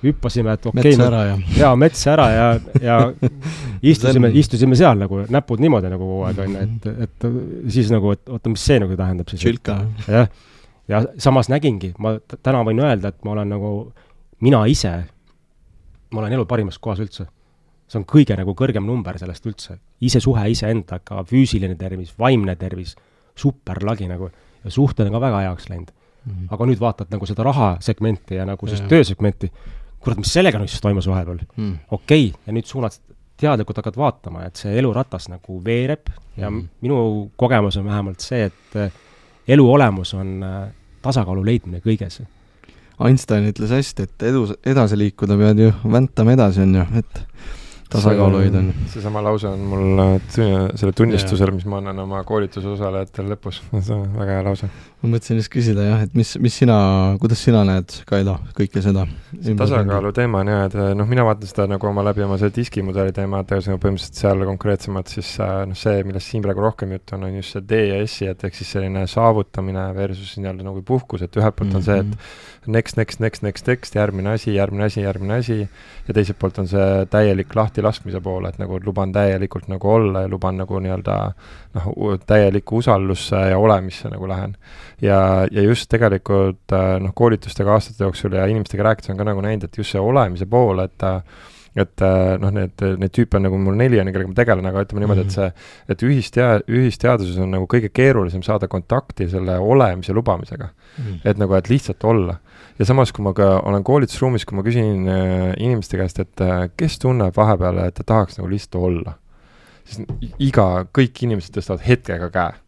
hüppasime, et okei, okay, ja. ja mets ära ja, ja istusime, istusime seal nagu, näpud niimoodi nagu kogu aeg, on, et, et siis nagu, et oota, mis see nagu tähendab siis? Čilka. Jah. Ja samas nägingi, ma t- täna võin öelda, et ma olen nagu, mina ise, ma olen elu parimas kohas üldse. See on kõige nagu kõrgem number sellest üldse. Ise suhe, ise endaga, füüsiline tervis, vaimne tervis, super lagi nagu, ja suhted on ka väga heaks läinud. Mm-hmm. Aga nüüd vaatad nagu seda rahasegmenti ja nagu siis töösegmenti, kurat, mis sellega nüüd siis toimus vahepeal? Mm. Okei, okay, ja nüüd suunad teadlikult hakkad vaatama, et see eluratas nagu veereb ja mm. minu kogemus on vähemalt see, et elu olemus on tasakaalu leidmine kõiges. Einstein ütles hästi, et edu, edasi liikuda pead ju väntama edasi on ju, et tasakaalu hoida on. See sama lause on mul selle tunnistusel, mis ma annan oma koolituse osalejatele lõpus. See on väga hea lause. Ma mõtlesin just küsida jah, et mis, mis sina, kuidas sina näed, Kaido, kõike seda? See tasakaalu teema on jah, et noh, mina vaatan seda nagu oma läbi oma see diskimudeli teema, et põhimõtteliselt seal konkreetsemalt siis noh, see, millest siin praegu rohkem jutt on, on just see D ja S-i, et ehk siis selline saavutamine versus nii-öelda nagu puhkus, et ühelt poolt on see, et next, next, next, next, next, järgmine asi, järgmine asi, järgmine asi ja teiselt poolt on see täielik lahti laskmise poole, et nagu luban täielikult nagu olla ja luban nagu nii-öelda noh, täieliku usallusse ja olemisse nagu lähen. Ja, ja just tegelikult noh, koolitustega aastate jooksul ja inimestega rääkides on ka nagu näinud, et just see olemise pool, et et noh, need, need tüüpe on nagu mul neli on, kellega ma tegelen, aga ütleme niimoodi, et see, et ühistea-, ühisteaduses on nagu kõige keerulisem saada kontakti selle olemise lubamisega. Mm. Et nagu, et lihtsalt olla. Ja samas, kui ma ka olen koolitusruumis, kui ma küsin äh, inimeste käest, et äh, kes tunneb vahepeale, et ta tahaks nagu lihtsalt olla, siis iga, kõik inimesed tõstavad hetkega käe.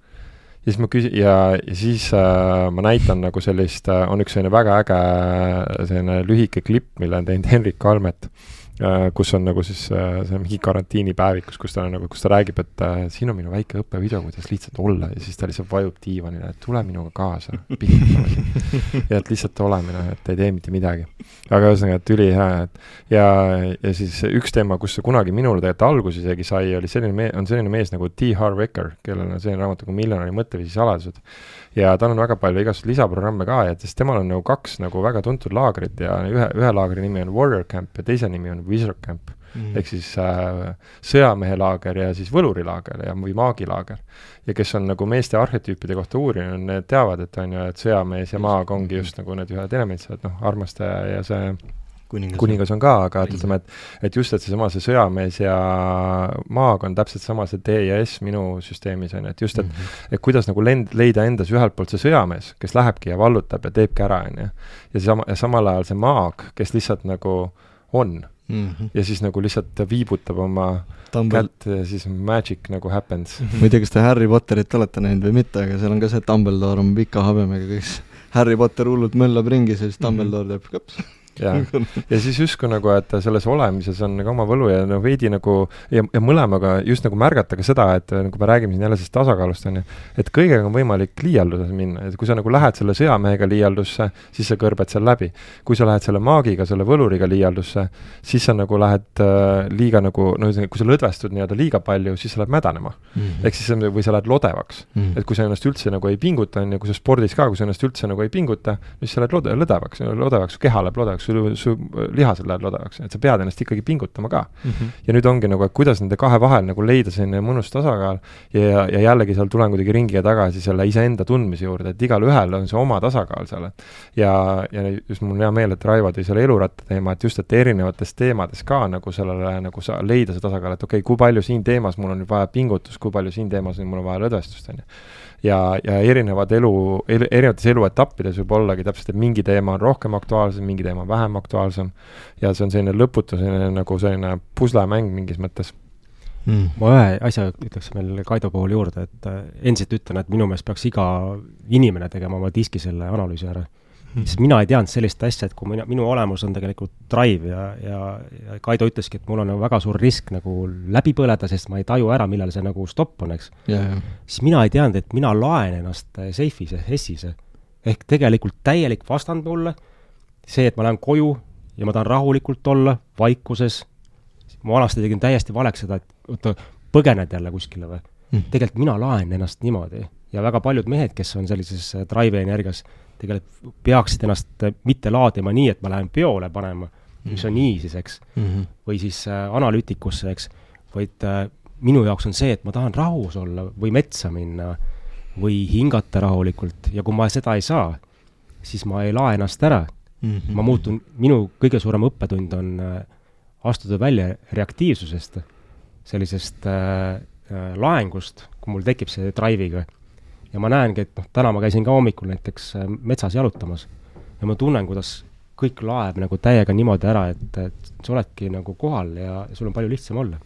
Ja siis ma küsin, ja, ja siis äh, ma näitan nagu sellist, äh, on üks selline väga äge selline lühike klipp, mille on teinud Henrik Kalmet, äh, kus on nagu siis äh, see mingi karantiinipäevikus, kus ta, nagu, kus ta räägib, et äh, siin on minu väike õppevideo, kuidas lihtsalt olla, ja siis ta lihtsalt vajub diivanile, et tule minuga kaasa, ja et lihtsalt olemine, et ei tee mitte midagi. Aga ühesõnaga, et üli hea, et ja, ja siis üks teema, kus see kunagi minule tegelikult alguses isegi sai, oli selline me-, on selline mees nagu T. Harv Eker, kellel on selline raamat nagu Miljonäri mõtteviisi saladused. Ja tal on väga palju igast lisaprogramme ka, ja sest temal on nagu kaks nagu väga tuntud laagrit ja ühe, ühe laagri nimi on Warrior Camp ja teise nimi on Wizard Camp. Mm. Ehk siis äh, sõjamehe laager ja siis võlurilaager ja, või maagilaager. Ja kes on nagu meeste arhetüüpide kohta uurinud, need teavad, et on ju, et sõjamees ja maag ongi just nagu need ühed elemendid, noh, armastaja ja see kuningas, kuningas on ka, aga ütleme, et, et just, et see sama see sõjamees ja maag on täpselt sama see D ja S minu süsteemis on, et just, et, mm-hmm. et kuidas nagu lend, leida endas ühelt poolt see sõjamees, kes lähebki ja vallutab ja teebki ära, on ju. Ja, sama, ja samal ajal see maag, kes lihtsalt nagu on. Mm-hmm. Ja siis nagu lihtsalt viibutab oma Tumble. Kätt ja siis magic nagu happens. Mm-hmm. Ma ei tea, kas te Harry Potterit olete näinud või mitte, aga seal on ka see Dumbledore on pika habemega, kes Harry Potter hullult möllab ringis ja siis Dumbledore teeb kaps. Ja. ja siis justkui nagu, et selles olemises on nagu oma võlu ja no veidi nagu ja, ja mõlemaga just nagu märgata ka seda, et nagu me räägime siin jälle sellest tasakaalust on ju, et kõigega on võimalik liialduses minna, et kui sa nagu lähed selle sõjamehega liialdusse, siis sa kõrbed seal läbi. Kui sa lähed selle maagiga, selle võluriga liialdusse, siis sa nagu lähed äh, liiga nagu, no kui sa lõdvestud nii-öelda liiga palju, siis sa lähed mädanema. Mm-hmm. Ehk siis või sa lähed lodevaks. Mm-hmm. Et kui sa ennast üldse nagu ei pinguta, on, ja kui sa spordis ka, kui sa ennast üldse nagu ei pinguta, siis sa lähed lode, lõdevaks, lõdevaks, keha läheb lodevaks, su, su lihased läheb lodevaks, et sa pead ennast ikkagi pingutama ka. Mm-hmm. Ja nüüd ongi nagu, et kuidas nende kahe vahel nagu leida selline mõnus tasakaal ja, ja jällegi seal tulen kuidagi ringiga tagasi selle iseenda tundmise juurde, et igal ühel on see oma tasakaal seal. Ja, ja just mul on hea meel, et Raivo tõi selle eluratta teema, et just, et erinevates teemades ka nagu sellele nagu sa leida see tasakaal, et okei okay,, kui palju siin teemas mul on vaja pingutust, kui palju siin teemas mul on vaja lõdvestust, on ju. Ja, ja erinevad elu, erinevates eluetappides võib ollagi täpselt, et mingi teema on rohkem aktuaalsem, mingi teema on vähem aktuaalsem ja see on selline lõputu, selline nagu selline puslemäng mingis mõttes. Mm. Ma ühe asja ütleks meil Kaido puhul juurde, et endiselt ütlen, et minu meelest peaks iga inimene tegema oma diski selle analüüsi ära. Sest mina ei teadnud sellist asja, et kui mina, minu olemus on tegelikult drive ja, ja, ja Kaido ütleski, et mul on nagu väga suur risk nagu läbi põleda, sest ma ei taju ära, millal see nagu stopp on, eks. Yeah, yeah. Siis mina ei teadnud, et mina laen ennast seifis, Hessis. Ehk tegelikult täielik vastand mulle, see, et ma lähen koju ja ma tahan rahulikult olla, vaikuses. Ma vanasti tegin täiesti valeks seda, et oota, põgened jälle kuskile või. Mm. Tegelikult mina laen ennast niimoodi. Ja väga paljud mehed, kes on sellises drive energias, tegelikult peaksid ennast mitte laadima nii, et ma lähen peole panema, mis on nii siis, eks, mm-hmm. või siis äh, analüütikusse, eks, vaid äh, minu jaoks on see, et ma tahan rahus olla või metsa minna või hingata rahulikult ja kui ma seda ei saa, siis ma ei lae ennast ära. Mm-hmm. Ma muutun, minu kõige suurem õppetund on äh, astuda välja reaktiivsusest, sellisest äh, äh, laengust, kui mul tekib see drive'iga. Ja ma näengi, et noh, täna ma käisin ka hommikul näiteks metsas jalutamas ja ma tunnen, kuidas kõik laeb nagu täiega niimoodi ära, et, et sa oledki nagu kohal ja, ja sul on palju lihtsam olla.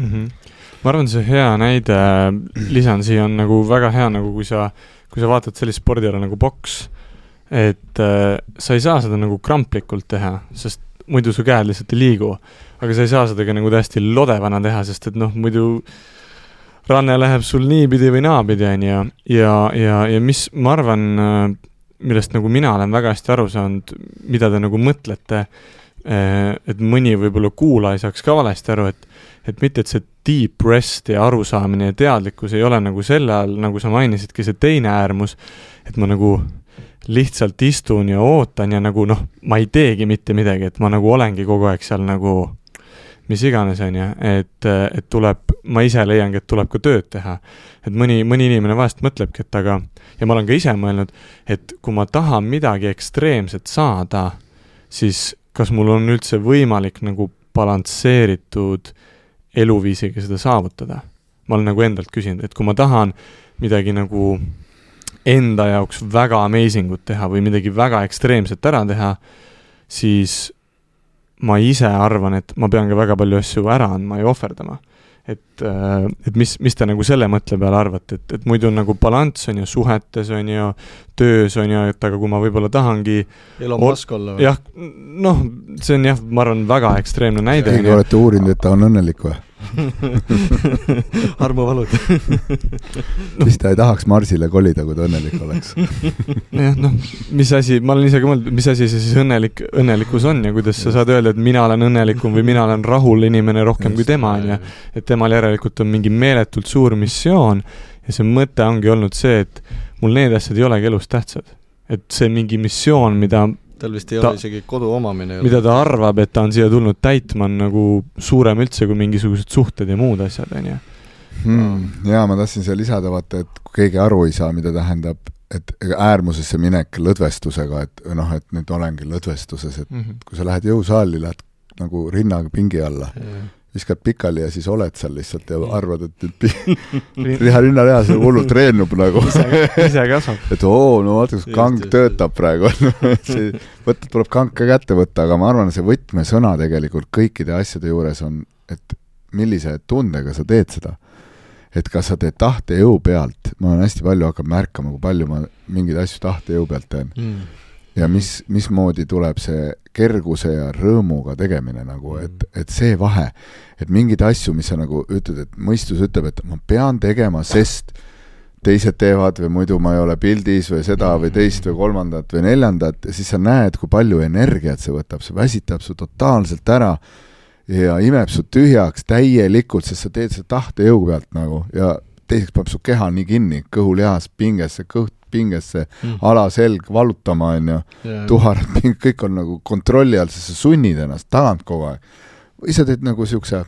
Mm-hmm. Ma arvan, see hea näide, lisan siia on nagu väga hea, nagu kui sa, kui sa vaatad sellist spordiala nagu boks, et äh, sa ei saa seda nagu kramplikult teha, sest muidu su käed lihtsalt ei liigu, aga sa ei saa seda ka nagu täiesti lodevana teha, sest et noh, muidu ranne läheb sul niipidi või naapidi, on ja, ja, ja, ja mis ma arvan, millest nagu mina olen väga hästi aru saanud, mida te nagu mõtlete, et mõni võib-olla kuula ei saaks ka valesti aru, et, et mitte, et see deep rest ja arusaamine ja teadlikkus ei ole nagu selle all, nagu sa mainisidki, see teine äärmus, et ma nagu lihtsalt istun ja ootan ja nagu noh, ma ei teegi mitte midagi, et ma nagu olengi kogu aeg seal nagu mis iganes on ja, et, et tuleb, ma ise leiangi, et tuleb ka tööd teha. Et mõni, mõni inimene vahest mõtlebki, et aga, ja ma olen ka ise mõelnud, et kui ma tahan midagi ekstreemset saada, siis kas mul on üldse võimalik nagu balansseeritud eluviisiga seda saavutada. Ma olen nagu endalt küsinud, et kui ma tahan midagi nagu enda jaoks väga amazingut teha või midagi väga ekstreemset ära teha, siis ma ise arvan, et ma pean ka väga palju asju ära andma ja ohverdama. Et, et mis, mis te nagu selle mõtle peale arvate, et, et muidu nagu balanss on ju suhetes, on ju töös, on ju, et aga kui ma võib-olla tahangi Elon Musk olla või? Jah, noh, see on jah, ma arvan, väga ekstreemne näide. Keegi olete uurinud, et ta on õnnelik või? Armuvalud. Mis ta ei tahaks Marsile kolida, kui ta õnnelik oleks? jah, noh, mis asi, ma olen ise ka mõelnud, mis asi see siis õnnelik, õnnelikkus on ja kuidas sa saad öelda, et mina olen õnnelikum või mina olen rahul inimene rohkem Just, kui tema on ja et temal järelikult on mingi meeletult suur missioon ja see mõte ongi olnud see, et mul need asjad ei olegi elus tähtsad. Et see mingi missioon, mida tal vist ei ta, ole isegi kodu omamine. Mida ta arvab, et ta on siia tulnud täitma, on nagu suurem üldse kui mingisugused suhted ja muud asjad, on ju. Hmm, jaa, ma tahtsin seal lisada, vaata, et kui keegi aru ei saa, mida tähendab, et äärmusesse minek lõdvestusega, et noh, et nüüd olengi lõdvestuses, et mm-hmm. kui sa lähed jõusaali, lähed nagu rinnaga pingi alla, yeah. viskad pikali ja siis oled seal lihtsalt ja arvad, et nüüd riha rinnareha see hullult treenub nagu. ise kasvab. et oo, no vaata, kus kang töötab praegu. võtta, tuleb kang ka kätte võtta, aga ma arvan, see võtmesõna tegelikult kõikide asjade juures on, et millise tundega sa teed seda. Et kas sa teed tahte jõu pealt, ma olen hästi palju hakkab märkama, kui palju ma mingeid asju tahte jõu pealt teen. Mm. Ja mis, mismoodi tuleb see kerguse ja rõõmuga tegemine nagu, et, et see vahe, et mingid asju, mis sa nagu ütled, et mõistus ütleb, et ma pean tegema, sest teised teevad või muidu ma ei ole pildis või seda või teist või kolmandat või neljandat ja siis sa näed, kui palju energiat see võtab, see väsitab su totaalselt ära ja imeb su tühjaks täielikult, sest sa teed seda tahte jõu pealt nagu ja teiseks paneb su keha nii kinni, kõhulihas pingesse, kõht pingesse, mm. alaselg valutama, on ju, yeah. tuharad ping, kõik on nagu kontrolli all, sest sa sunnid ennast tagant kogu aeg. Või sa teed nagu siukse,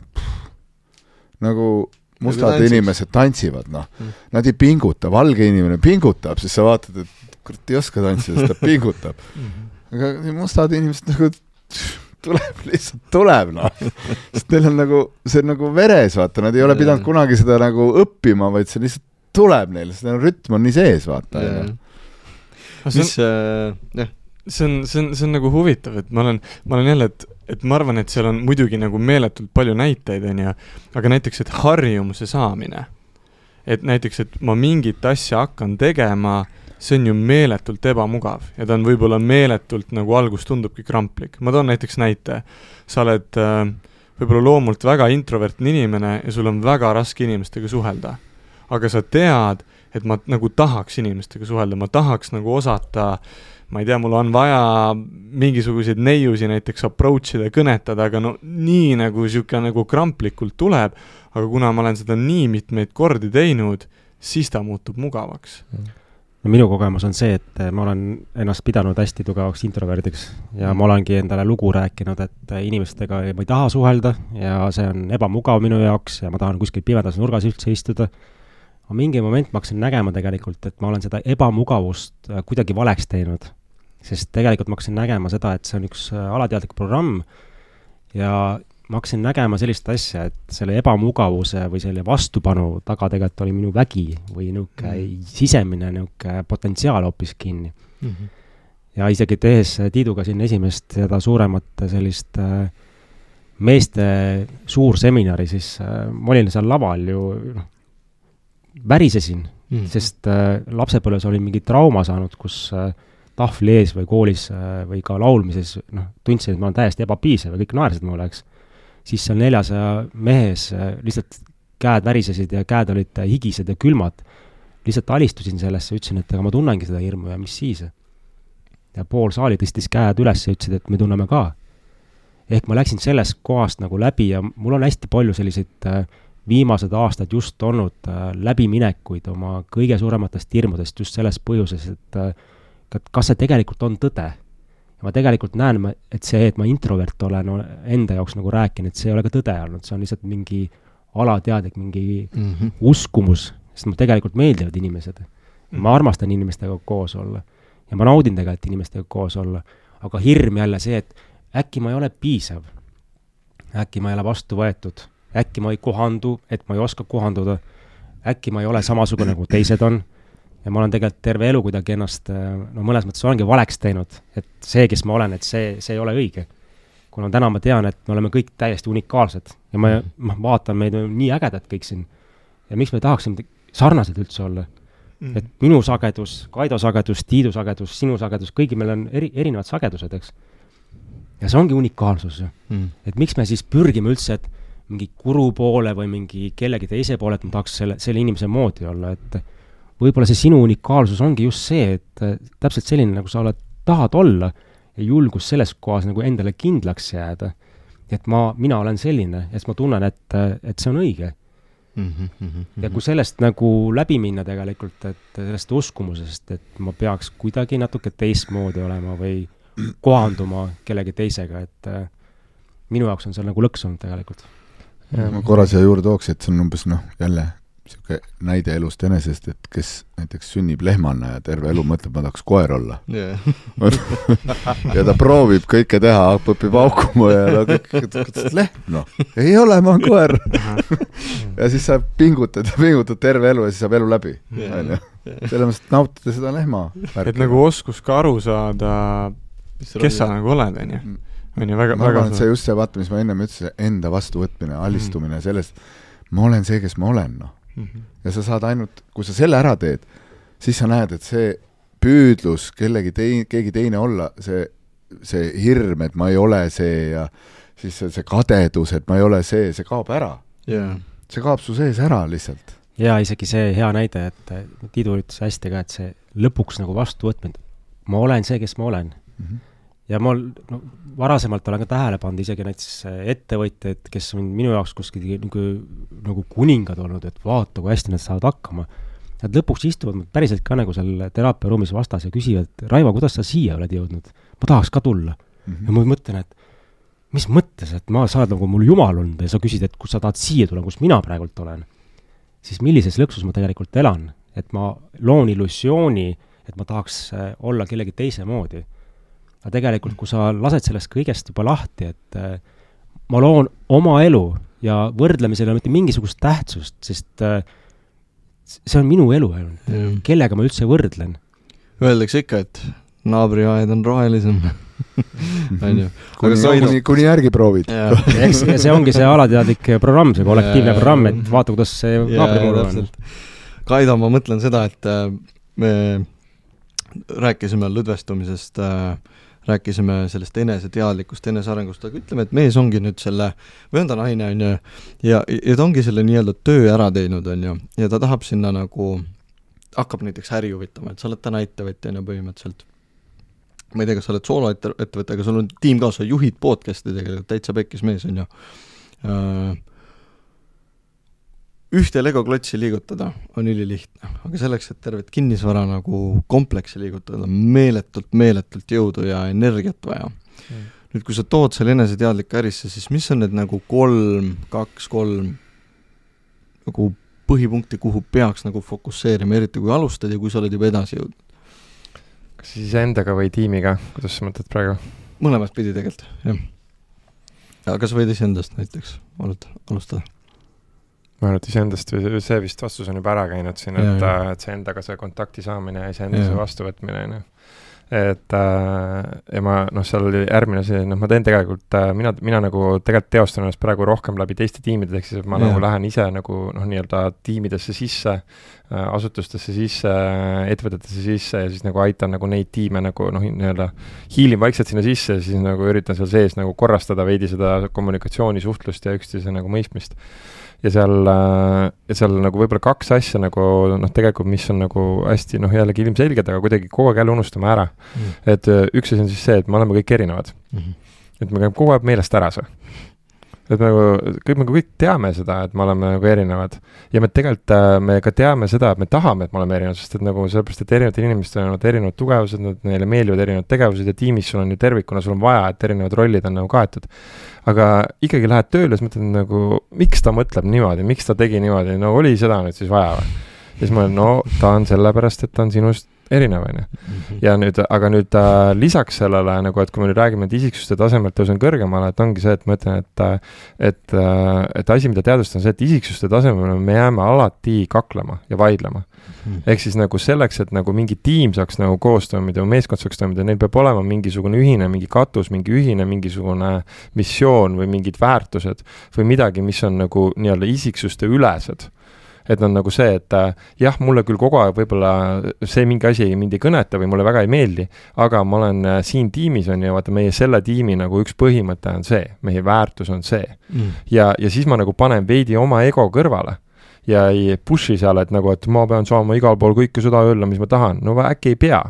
nagu mustad nagu inimesed tantsivad, noh. Mm. Nad ei pinguta, valge inimene pingutab, siis sa vaatad, et kurat ei oska tantsida, sest ta pingutab. Aga mustad inimesed nagu tuleb, lihtsalt tuleb, noh. Sest neil on nagu, see on nagu veres, vaata, nad ei ole pidanud kunagi seda nagu õppima, vaid see lihtsalt tuleb neil, seda rütm on nii sees, vaata. Mis, äh, jah. See on, see on, see on nagu huvitav, et ma olen, ma olen jälle, et, et ma arvan, et seal on muidugi nagu meeletult palju näiteid, on ju, aga näiteks, et harjumuse saamine, et näiteks, et ma mingit asja hakkan tegema, see on ju meeletult ebamugav ja ta on võib-olla meeletult nagu algus tundubki kramplik. Ma toon näiteks näite, sa oled äh, võib-olla loomult väga introvertne inimene ja sul on väga raske inimestega suhelda. Aga sa tead, et ma nagu tahaks inimestega suhelda, ma tahaks nagu osata, ma ei tea, mul on vaja mingisuguseid neiusi näiteks approach'ida ja kõnetada, aga no nii nagu siuke nagu kramplikult tuleb, aga kuna ma olen seda nii mitmeid kordi teinud, siis ta muutub mugavaks. No minu kogemus on see, et ma olen ennast pidanud hästi tugevaks introverdiks ja ma olengi endale lugu rääkinud, et inimestega ma ei taha suhelda ja see on ebamugav minu jaoks ja ma tahan kuskil pimedas nurgas üldse istuda. Aga mingi moment ma hakkasin nägema tegelikult, et ma olen seda ebamugavust kuidagi valeks teinud, sest tegelikult ma hakkasin nägema seda, et see on üks alateadlik programm ja ma hakkasin nägema sellist asja, et selle ebamugavuse või selle vastupanu taga tegelikult oli minu vägi või niuke mm. sisemine niuke potentsiaal hoopis kinni. Mm-hmm. Ja isegi tehes Tiiduga siin esimest seda suuremat sellist meeste suur seminari, siis ma olin seal laval ju noh, värisesin, mm. sest äh, lapsepõlves olin mingi trauma saanud, kus äh, tahvli ees või koolis äh, või ka laulmises noh, tundsin, et ma olen täiesti ebapiisev ja kõik naersid mulle, eks. Siis seal neljasaja mehes äh, lihtsalt käed värisesid ja käed olid äh, higised ja külmad. Lihtsalt alistusin sellesse, ütlesin, et aga ma tunnengi seda hirmu ja mis siis. Ja pool saali tõstis käed üles ja ütlesid, et me tunneme ka. Ehk ma läksin sellest kohast nagu läbi ja mul on hästi palju selliseid äh, viimased aastad just olnud äh, läbiminekuid oma kõige suurematest hirmudest just selles põhjuses, et äh, kas see tegelikult on tõde. Ja ma tegelikult näen, et see, et ma introvert olen no, enda jaoks nagu rääkin, et see ei ole ka tõde olnud, see on lihtsalt mingi alateadlik, mingi mm-hmm. uskumus, sest ma tegelikult meeldivad inimesed. Ma armastan inimestega koos olla ja ma naudin tegelikult inimestega koos olla, aga hirm jälle see, et äkki ma ei ole piisav. äkki ma ei ole vastu võetud, äkki ma ei kohandu, et ma ei oska kohanduda, äkki ma ei ole samasugune nagu teised on ja ma olen tegelikult terve elu kuidagi ennast, no mõnes mõttes olengi valeks teinud, et see, kes ma olen, et see, see ei ole õige. Kuna täna ma tean, et me oleme kõik täiesti unikaalsed ja ma, ma vaatan meid nii ägedad kõik siin ja miks me tahaksime sarnased üldse olla. Mm. Et minu sagedus, Kaido sagedus, Tiidu sagedus, sinu sagedus, kõigi meil on eri, erinevad sagedused, eks. Ja see ongi unikaalsus. Mm. Et miks me siis pürgime üldse, et mingi kuru poole või mingi kellegi teise poole, et ma tahaks selle, selle inimese moodi olla, et võib-olla see sinu unikaalsus ongi just see, et täpselt selline, nagu sa oled, tahad olla ja julgus selles kohas nagu endale kindlaks jääda. Et ma, mina olen selline, et ma tunnen, et, et see on õige. Mm-hmm, mm-hmm. Ja kui sellest nagu läbi minna tegelikult, et sellest uskumusest, et ma peaks kuidagi natuke teistmoodi olema või kohanduma kellegi teisega, et minu jaoks on seal nagu lõks olnud tegelikult. Ja ma korra siia juurde tooks, et see on umbes noh, jälle siuke näide elust enesest, et kes näiteks sünnib lehmana ja terve elu mõtleb, ma tahaks koer olla. Yeah. ja ta proovib kõike teha, õpib aukuma ja ta kõik, lehm, noh, ei ole, ma olen koer. ja siis sa pingutad ja pingutad terve elu ja siis saab elu läbi. Yeah. Selle mõttes nautida seda lehma. Et nagu oskus ka aru saada, kes sa nagu oled, on ju. On ju väga, ma väga arvan, et see just see vaata, mis ma ennem ütlesin, enda vastuvõtmine, alistumine mm. sellest, ma olen see, kes ma olen, noh. Mm-hmm. Ja sa saad ainult, kui sa selle ära teed, siis sa näed, et see püüdlus kellegi teine, keegi teine olla, see, see hirm, et ma ei ole see ja siis see, see kadedus, et ma ei ole see, see kaob ära. Yeah. See kaob su sees ära lihtsalt. Ja isegi see hea näide, et Tiidu ütles hästi ka, et see lõpuks nagu vastuvõtmine. Ma olen see, kes ma olen. Mm-hmm. Ja ma no, varasemalt olen ka tähele pannud isegi näiteks ettevõtjad, kes on minu jaoks kuskil nagu, nagu kuningad olnud, et vaata, kui hästi nad saavad hakkama. Nad lõpuks istuvad päriselt ka nagu seal teraapiaruumis vastas ja küsivad, Raivo, kuidas sa siia oled jõudnud? Ma tahaks ka tulla. Mm-hmm. Ja ma mõtlen, et mis mõttes, et ma saad nagu mul jumal olnud ja sa küsid, et kus sa tahad siia tulla, kus mina praegult olen. Siis millises lõksus ma tegelikult elan, et ma loon illusiooni, et ma tahaks olla kellegi teise moodi. Aga tegelikult, kui sa lased sellest kõigest juba lahti, et äh, ma loon oma elu ja võrdlemisel on mitte mingisugust tähtsust, sest äh, see on minu elu ainult. Mm. Kellega ma üldse võrdlen? Öeldakse ikka, et naabriaed on rohelisem. kuni, kuni, kuni järgi proovid. Eks see ongi see alateadlik programm, see kollektiivne programm, et vaata, kuidas see naabrimuru on. Kaido, ma mõtlen seda, et äh, me rääkisime lõdvestumisest äh, rääkisime sellest eneseteadlikust, enesearengust, aga ütleme, et mees ongi nüüd selle, või on ta naine, on ju, ja, ja ta ongi selle nii-öelda töö ära teinud, on ju, ja ta tahab sinna nagu, hakkab näiteks äri huvitama, et sa oled täna ettevõtja, on ju, põhimõtteliselt. Ma ei tea, kas sa oled soolo ettevõtja, aga sul on tiim ka, sa juhid podcasti tegelikult, täitsa pekkis mees, on ju. Ühte Lego-klotsi liigutada on ülilihtne, aga selleks, et tervet kinnisvara nagu kompleksi liigutada, meeletult, meeletult jõudu ja energiat vaja. Mm. Nüüd, kui sa tood selle eneseteadliku ärisse, siis mis on need nagu kolm, kaks, kolm nagu põhipunkti, kuhu peaks nagu fokusseerima, eriti kui alustad ja kui sa oled juba edasi jõudnud? Kas siis endaga või tiimiga? Kuidas sa mõtled praegu? Mõlemat pidi tegelikult, jah. Aga kas võid iseendast näiteks alustada? Ma arvan, et iseendast või see vist vastus on juba ära käinud siin, et, et see endaga see kontakti saamine ja iseendase vastuvõtmine, no. Et ja ma, noh, seal oli järgmine see, noh, ma teen tegelikult, mina, mina nagu tegelikult teostan ennast praegu rohkem läbi teiste tiimide, ehk siis ma ja. nagu lähen ise nagu, noh, nii-öelda tiimidesse sisse, asutustesse sisse, ettevõtetesse sisse ja siis nagu aitan nagu neid tiime nagu, noh, nii-öelda hiilin vaikselt sinna sisse ja siis nagu üritan seal sees nagu korrastada veidi seda kommunikatsiooni, suhtlust ja üksteise nagu mõistmist. Ja seal, ja seal nagu võib-olla kaks asja nagu, noh, tegelikult, mis on nagu hästi, noh, jällegi ilmselged, aga kuidagi kogu aeg jälle unustame ära. Mm. Et üks asi on siis see, et me oleme kõik erinevad. Mm-hmm. Et me käime kogu aeg meelest ära see. Et me, kõik, me kõik teame seda, et me oleme nagu erinevad. Ja me tegelikult, me ka teame seda, et me tahame, et me oleme erinevad, sest et nagu sellepärast, et erinevad inimesed on erinevad tugevused, neile meeldivad erinevad tegevused ja tiimis sul on ju tervikuna, sul on vaja, et erinevad rollid on nagu kaetud. Aga ikkagi lähed tööle, siis mõtled nagu, miks ta mõtleb niimoodi, miks ta tegi niimoodi, no oli seda nüüd siis vaja või? Ja siis ma olen, no ta on sellepärast, et ta on sinust erinev, on ju. Ja nüüd, aga nüüd äh, lisaks sellele, nagu, et kui me nüüd räägime, et isiksuste tasemelt tõusen kõrgemale, et ongi see, et ma ütlen, et, et, et asi, mida teadvustan, on see, et isiksuste tasemel me jääme alati kaklema ja vaidlema. Ehk siis nagu selleks, et nagu mingi tiim saaks nagu koos toimida, meeskond saaks toimida, neil peab olema mingisugune ühine, mingi katus, mingi ühine, mingisugune missioon või mingid väärtused või midagi, mis on nagu nii-öelda isiksuste ülesed. Et on nagu see, et äh, jah, mulle küll kogu aeg võib-olla see mingi asi mind ei kõneta või mulle väga ei meeldi, aga ma olen äh, siin tiimis on ju, vaata meie selle tiimi nagu üks põhimõte on see, meie väärtus on see. Mm. Ja, ja siis ma nagu panen veidi oma ego kõrvale ja ei pushi seal, et nagu, et ma pean saama igal pool kõike seda öelda, mis ma tahan. No äkki ei pea.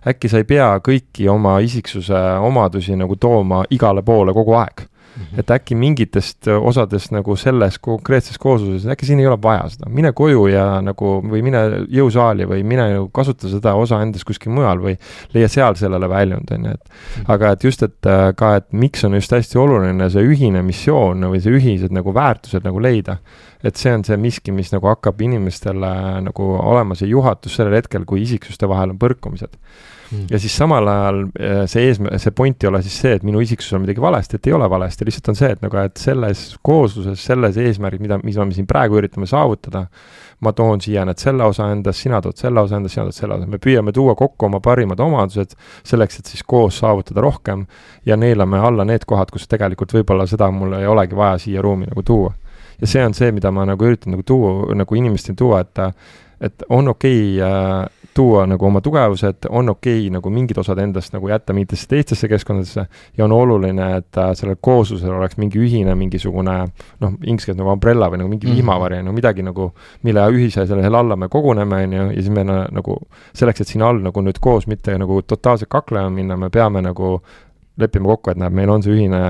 Äkki sa ei pea kõiki oma isiksuse omadusi nagu tooma igale poole kogu aeg. Mm-hmm. Et äkki mingitest osadest nagu selles konkreetses koosluses, äkki siin ei ole vaja seda. Mine koju ja nagu, või mine jõusaali või mine kasuta seda osa endast kuskil mujal või leia seal sellele väljund. Et, mm-hmm. aga et just, et ka, et miks on just hästi oluline see ühine missioon või see ühised nagu väärtused nagu leida. Et see on see miski, mis nagu hakkab inimestele nagu olema see juhatus sellel hetkel, kui isiksuste vahel on põrkumised. Mm. Ja siis samal ajal see, eesmä- see point ei ole siis see, et minu isiksus on midagi valesti, et ei ole valesti, lihtsalt on see, et, nagu, et selles koosluses, selles eesmärgid, mida, mis me siin praegu üritame saavutada, ma toon siia need selle osa endast, sina tood selle osa endast, sina tood selle osa. Me püüame tuua kokku oma parimad omadused selleks, et siis koos saavutada rohkem ja neelame alla need kohad, kus tegelikult võib-olla seda mul ei olegi vaja siia ruumi nagu tuua. Ja see on see, mida ma nagu üritan nagu tuua, nagu inimesteni tuua, et, et on okei äh, tuua nagu oma tugevused, on okei nagu mingid osad endast nagu jätta mingitesse teistesse keskkondadesse ja on oluline, et äh, sellel kooslusel oleks mingi ühine, mingisugune, noh, ingliskeeles nagu umbrella või nagu mingi mm-hmm. vihmavari, no midagi nagu, mille ühise selle alla me koguneme, ja, ja siis me nagu selleks, et siin all nagu nüüd koos mitte nagu totaalselt kaklema minna, me peame nagu leppima kokku, et näeb, meil on see ühine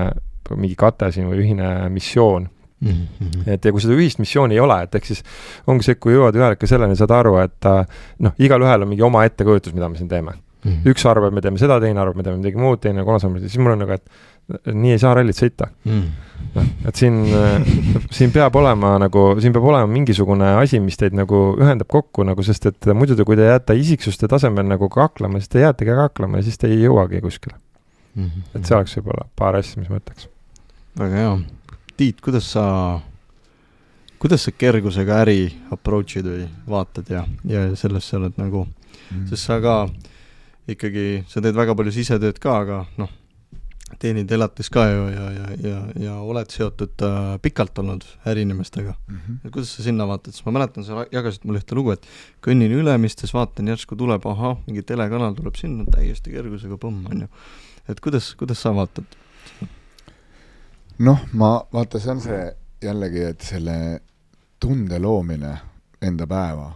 mingi kate siin või ühine missioon. Mm-hmm. Et ja kui seda ühist missiooni ei ole, et eks siis ongi see, kui jõuad ühel ikka selleni, saad aru, et noh, igal ühel on mingi oma ettekujutus, mida me siin teeme. Mm-hmm. Üks arvab, me teeme seda, teine arvab, me teeme midagi muud, teine kolmas arvab, siis mul on nagu, et nii ei saa rallit sõita. Mm-hmm. No, et siin, siin peab olema nagu, siin peab olema mingisugune asi, mis teid nagu ühendab kokku, nagu, sest et muidu te, kui te jääte isiksuste tasemel nagu kaklama, siis te jäätegi kaklama ja siis te ei jõuagi kuskile. Mm-hmm. Et see oleks võib-olla paar asja, mis ma ütleks. Väga hea. Tiit, kuidas sa, kuidas sa kergusega äri approach'id või vaatad ja, ja sellest sa oled nagu, mm. sest sa ka ikkagi, sa teed väga palju sisetööd ka, aga noh, teenid elatis ka ju ja, ja, ja, ja oled seotud äh, pikalt olnud äriinimestega. Mm-hmm. Et kuidas sa sinna vaatad? Sest ma mäletan, sa jagasid mulle ühte lugu, et kõnnin Ülemistes, vaatan järsku tuleb, aha, mingi telekanal tuleb sinna täiesti kergusega põmm, on ju. Et kuidas, kuidas sa vaatad? Noh, ma vaata, see on see jällegi, et selle tunde loomine enda päeva,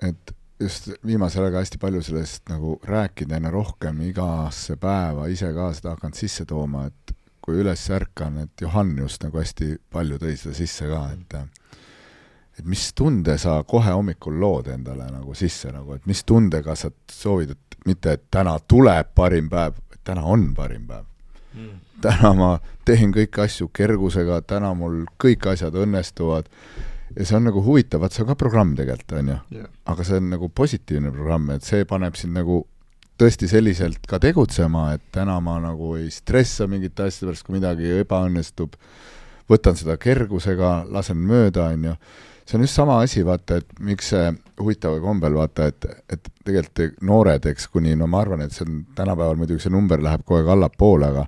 et just viimasel aega hästi palju sellest nagu rääkida enne rohkem igasse päeva, ise ka seda hakanud sisse tooma, et kui üles ärkan, et Johan just nagu hästi palju tõi seda sisse ka, et, et mis tunde sa kohe hommikul lood endale nagu sisse, nagu, et mis tundega sa soovid, et mitte, et täna tuleb parim päev, et täna on parim päev. Mm. Täna ma teen kõik asju kergusega, täna mul kõik asjad õnnestuvad ja see on nagu huvitav, et see on ka programm tegelikult, on ju. Yeah. Aga see on nagu positiivne programm, et see paneb sind nagu tõesti selliselt ka tegutsema, et täna ma nagu ei stressa mingit asja pärast, kui midagi ebaõnnestub, võtan seda kergusega, lasen mööda, on ju. See on just sama asi, vaata, et miks see huvitav kombel, vaata, et, et tegelikult noored, eks kuni, no ma arvan, et see on tänapäeval muidugi see number läheb kogu aeg allapoole, aga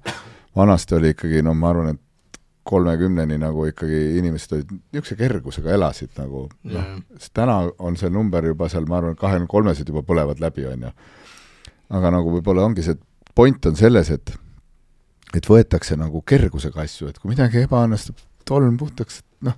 vanasti oli ikkagi, no ma arvan, et kolmekümneni nagu ikkagi inimesed olid niisuguse kergusega elasid nagu, yeah. noh, sest täna on see number juba seal, ma arvan, kahekümne kolmesed juba põlevad läbi, on ju. Aga nagu võib-olla ongi see point on selles, et et võetakse nagu kergusega asju, et kui midagi ebaõnnestub, tolm puhtaks, noh,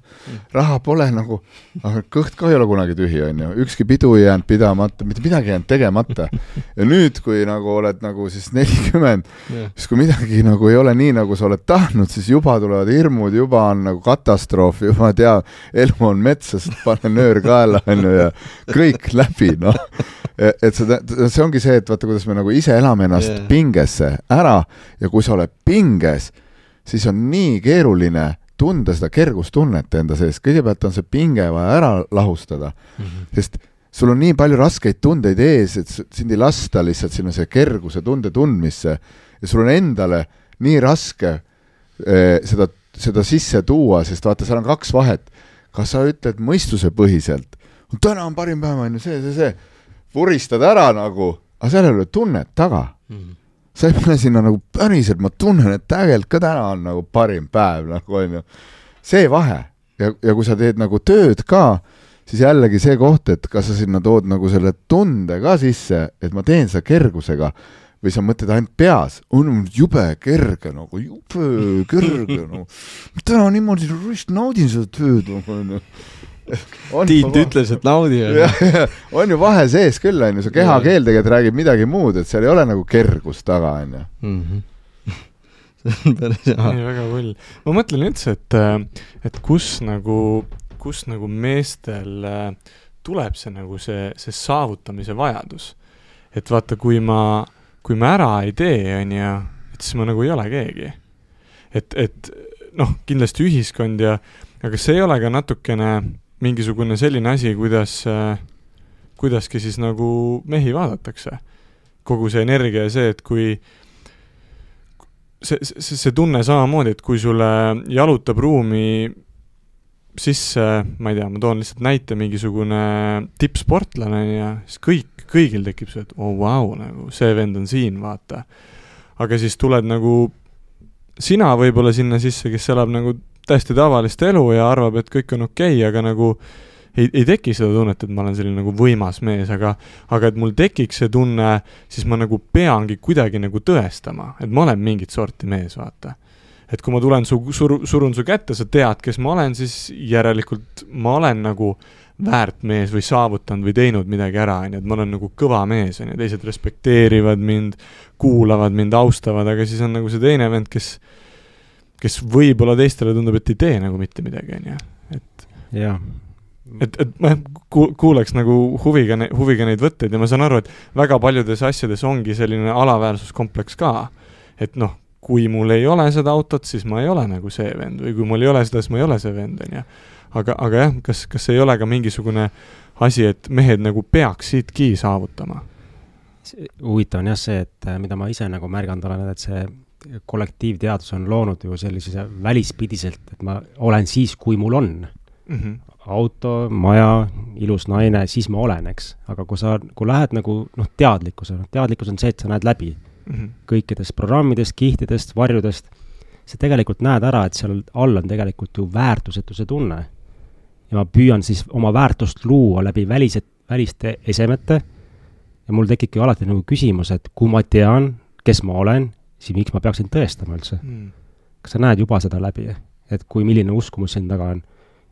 raha pole nagu, aga kõht ka ei ole kunagi tühi, on ju. Ükski pidu ei jäänud pidamata, mitte midagi jäänud tegemata. Ja nüüd, kui nagu oled nagu siis nelikümmend, yeah. siis kui midagi nagu ei ole nii, nagu sa oled tahtnud, siis juba tulevad hirmud, juba on nagu katastroof, juba tea, elu on metsas, pane nöör kaela, on ju, ja kõik läbi, noh. Et see, see ongi see, et vaata, kuidas me nagu ise elame ennast yeah. pingesse ära ja kui sa oled pinges, siis on nii keeruline tunda seda kergustunnet enda sees. Kõigepealt on see pinge vaja ära lahustada, mm-hmm. sest sul on nii palju raskeid tundeid ees, et sind ei lasta lihtsalt sinna see kerguse tunde tundmisse ja sul on endale nii raske eh, seda, seda sisse tuua, sest vaata, seal on kaks vahet. Kas sa ütled mõistuse põhiselt, täna on parim päev, on ju see, see, see, vuristad ära nagu, aga seal ei ole tunnet taga. Mm. Sa ei pane sinna nagu päriselt, ma tunnen, et tegelikult ka täna on nagu parim päev, nagu on ju. See vahe. Ja, ja kui sa teed nagu tööd ka, siis jällegi see koht, et kas sa sinna tood nagu selle tunde ka sisse, et ma teen seda kergusega, või sa mõtled ainult peas, on jube kerge, nagu jube kerge, nagu täna niimoodi rüst naudin seda tööd, nagu on Tiit ütles, et naudi. Ja, ja, on ju vahe sees küll, on ju, see kehakeel tegelikult räägib midagi muud, et seal ei ole nagu kergus taga, on ju. Mm-hmm. See on päris hea. Nii, väga hull. Ma mõtlen üldse, et, et kus nagu, kus nagu meestel tuleb see nagu see, see saavutamise vajadus. Et vaata, kui ma, kui ma ära ei tee, on ju, et siis ma nagu ei ole keegi. Et, et noh, kindlasti ühiskond ja, aga see ei ole ka natukene mingisugune selline asi, kuidas, kuidaski siis nagu mehi vaadatakse. Kogu see energia ja see, et kui see, see, see tunne samamoodi, et kui sulle jalutab ruumi sisse, ma ei tea, ma toon lihtsalt näite mingisugune tippsportlane ja siis kõik, kõigil tekib see, et oh vau, nagu see vend on siin, vaata. Aga siis tuled nagu sina võib-olla sinna sisse, kes elab nagu täiesti tavalist elu ja arvab, et kõik on okei, okay, aga nagu ei, ei teki seda tunnet, et ma olen selline nagu võimas mees, aga, aga et mul tekiks see tunne, siis ma nagu peangi kuidagi nagu tõestama, et ma olen mingit sorti mees, vaata. Et kui ma tulen su, sur, surun su kätte, sa tead, kes ma olen, siis järelikult ma olen nagu väärt mees või saavutanud või teinud midagi ära, et ma olen nagu kõva mees, ja teised respekteerivad mind, kuulavad mind, austavad, aga siis on nagu see teine vend, kes kes võib-olla teistele tundub, et ei tee nagu mitte midagi, on ju. Et, ja. et, et ma kuuleks nagu huviga, huviga neid võtteid ja ma saan aru, et väga paljudes asjades ongi selline alaväärsuskompleks ka. Et noh, kui mul ei ole seda autot, siis ma ei ole nagu see vend või kui mul ei ole seda, siis ma ei ole see vend, on ju. Aga, aga jah, kas, kas ei ole ka mingisugune asi, et mehed nagu peaks siitki saavutama? Huvitav on jah see, et mida ma ise nagu märganud olen, et see kollektiivteadus on loonud ju sellise välispidiselt, et ma olen siis, kui mul on mm-hmm. auto, maja, ilus naine, siis ma olen, eks. Aga kui sa, kui lähed nagu noh, teadlikkuse, teadlikkus on see, et sa näed läbi mm-hmm. kõikidest programmidest, kihtidest, varjudest, sa tegelikult näed ära, et seal all on tegelikult ju väärtusetuse tunne. Ja ma püüan siis oma väärtust luua läbi välised, väliste esemete ja mul tekibki alati nagu küsimus, et kui ma tean, kes ma olen, siis miks ma peaksin tõestama üldse? Mm. Kas sa näed juba seda läbi, et kui milline uskumus siin taga on?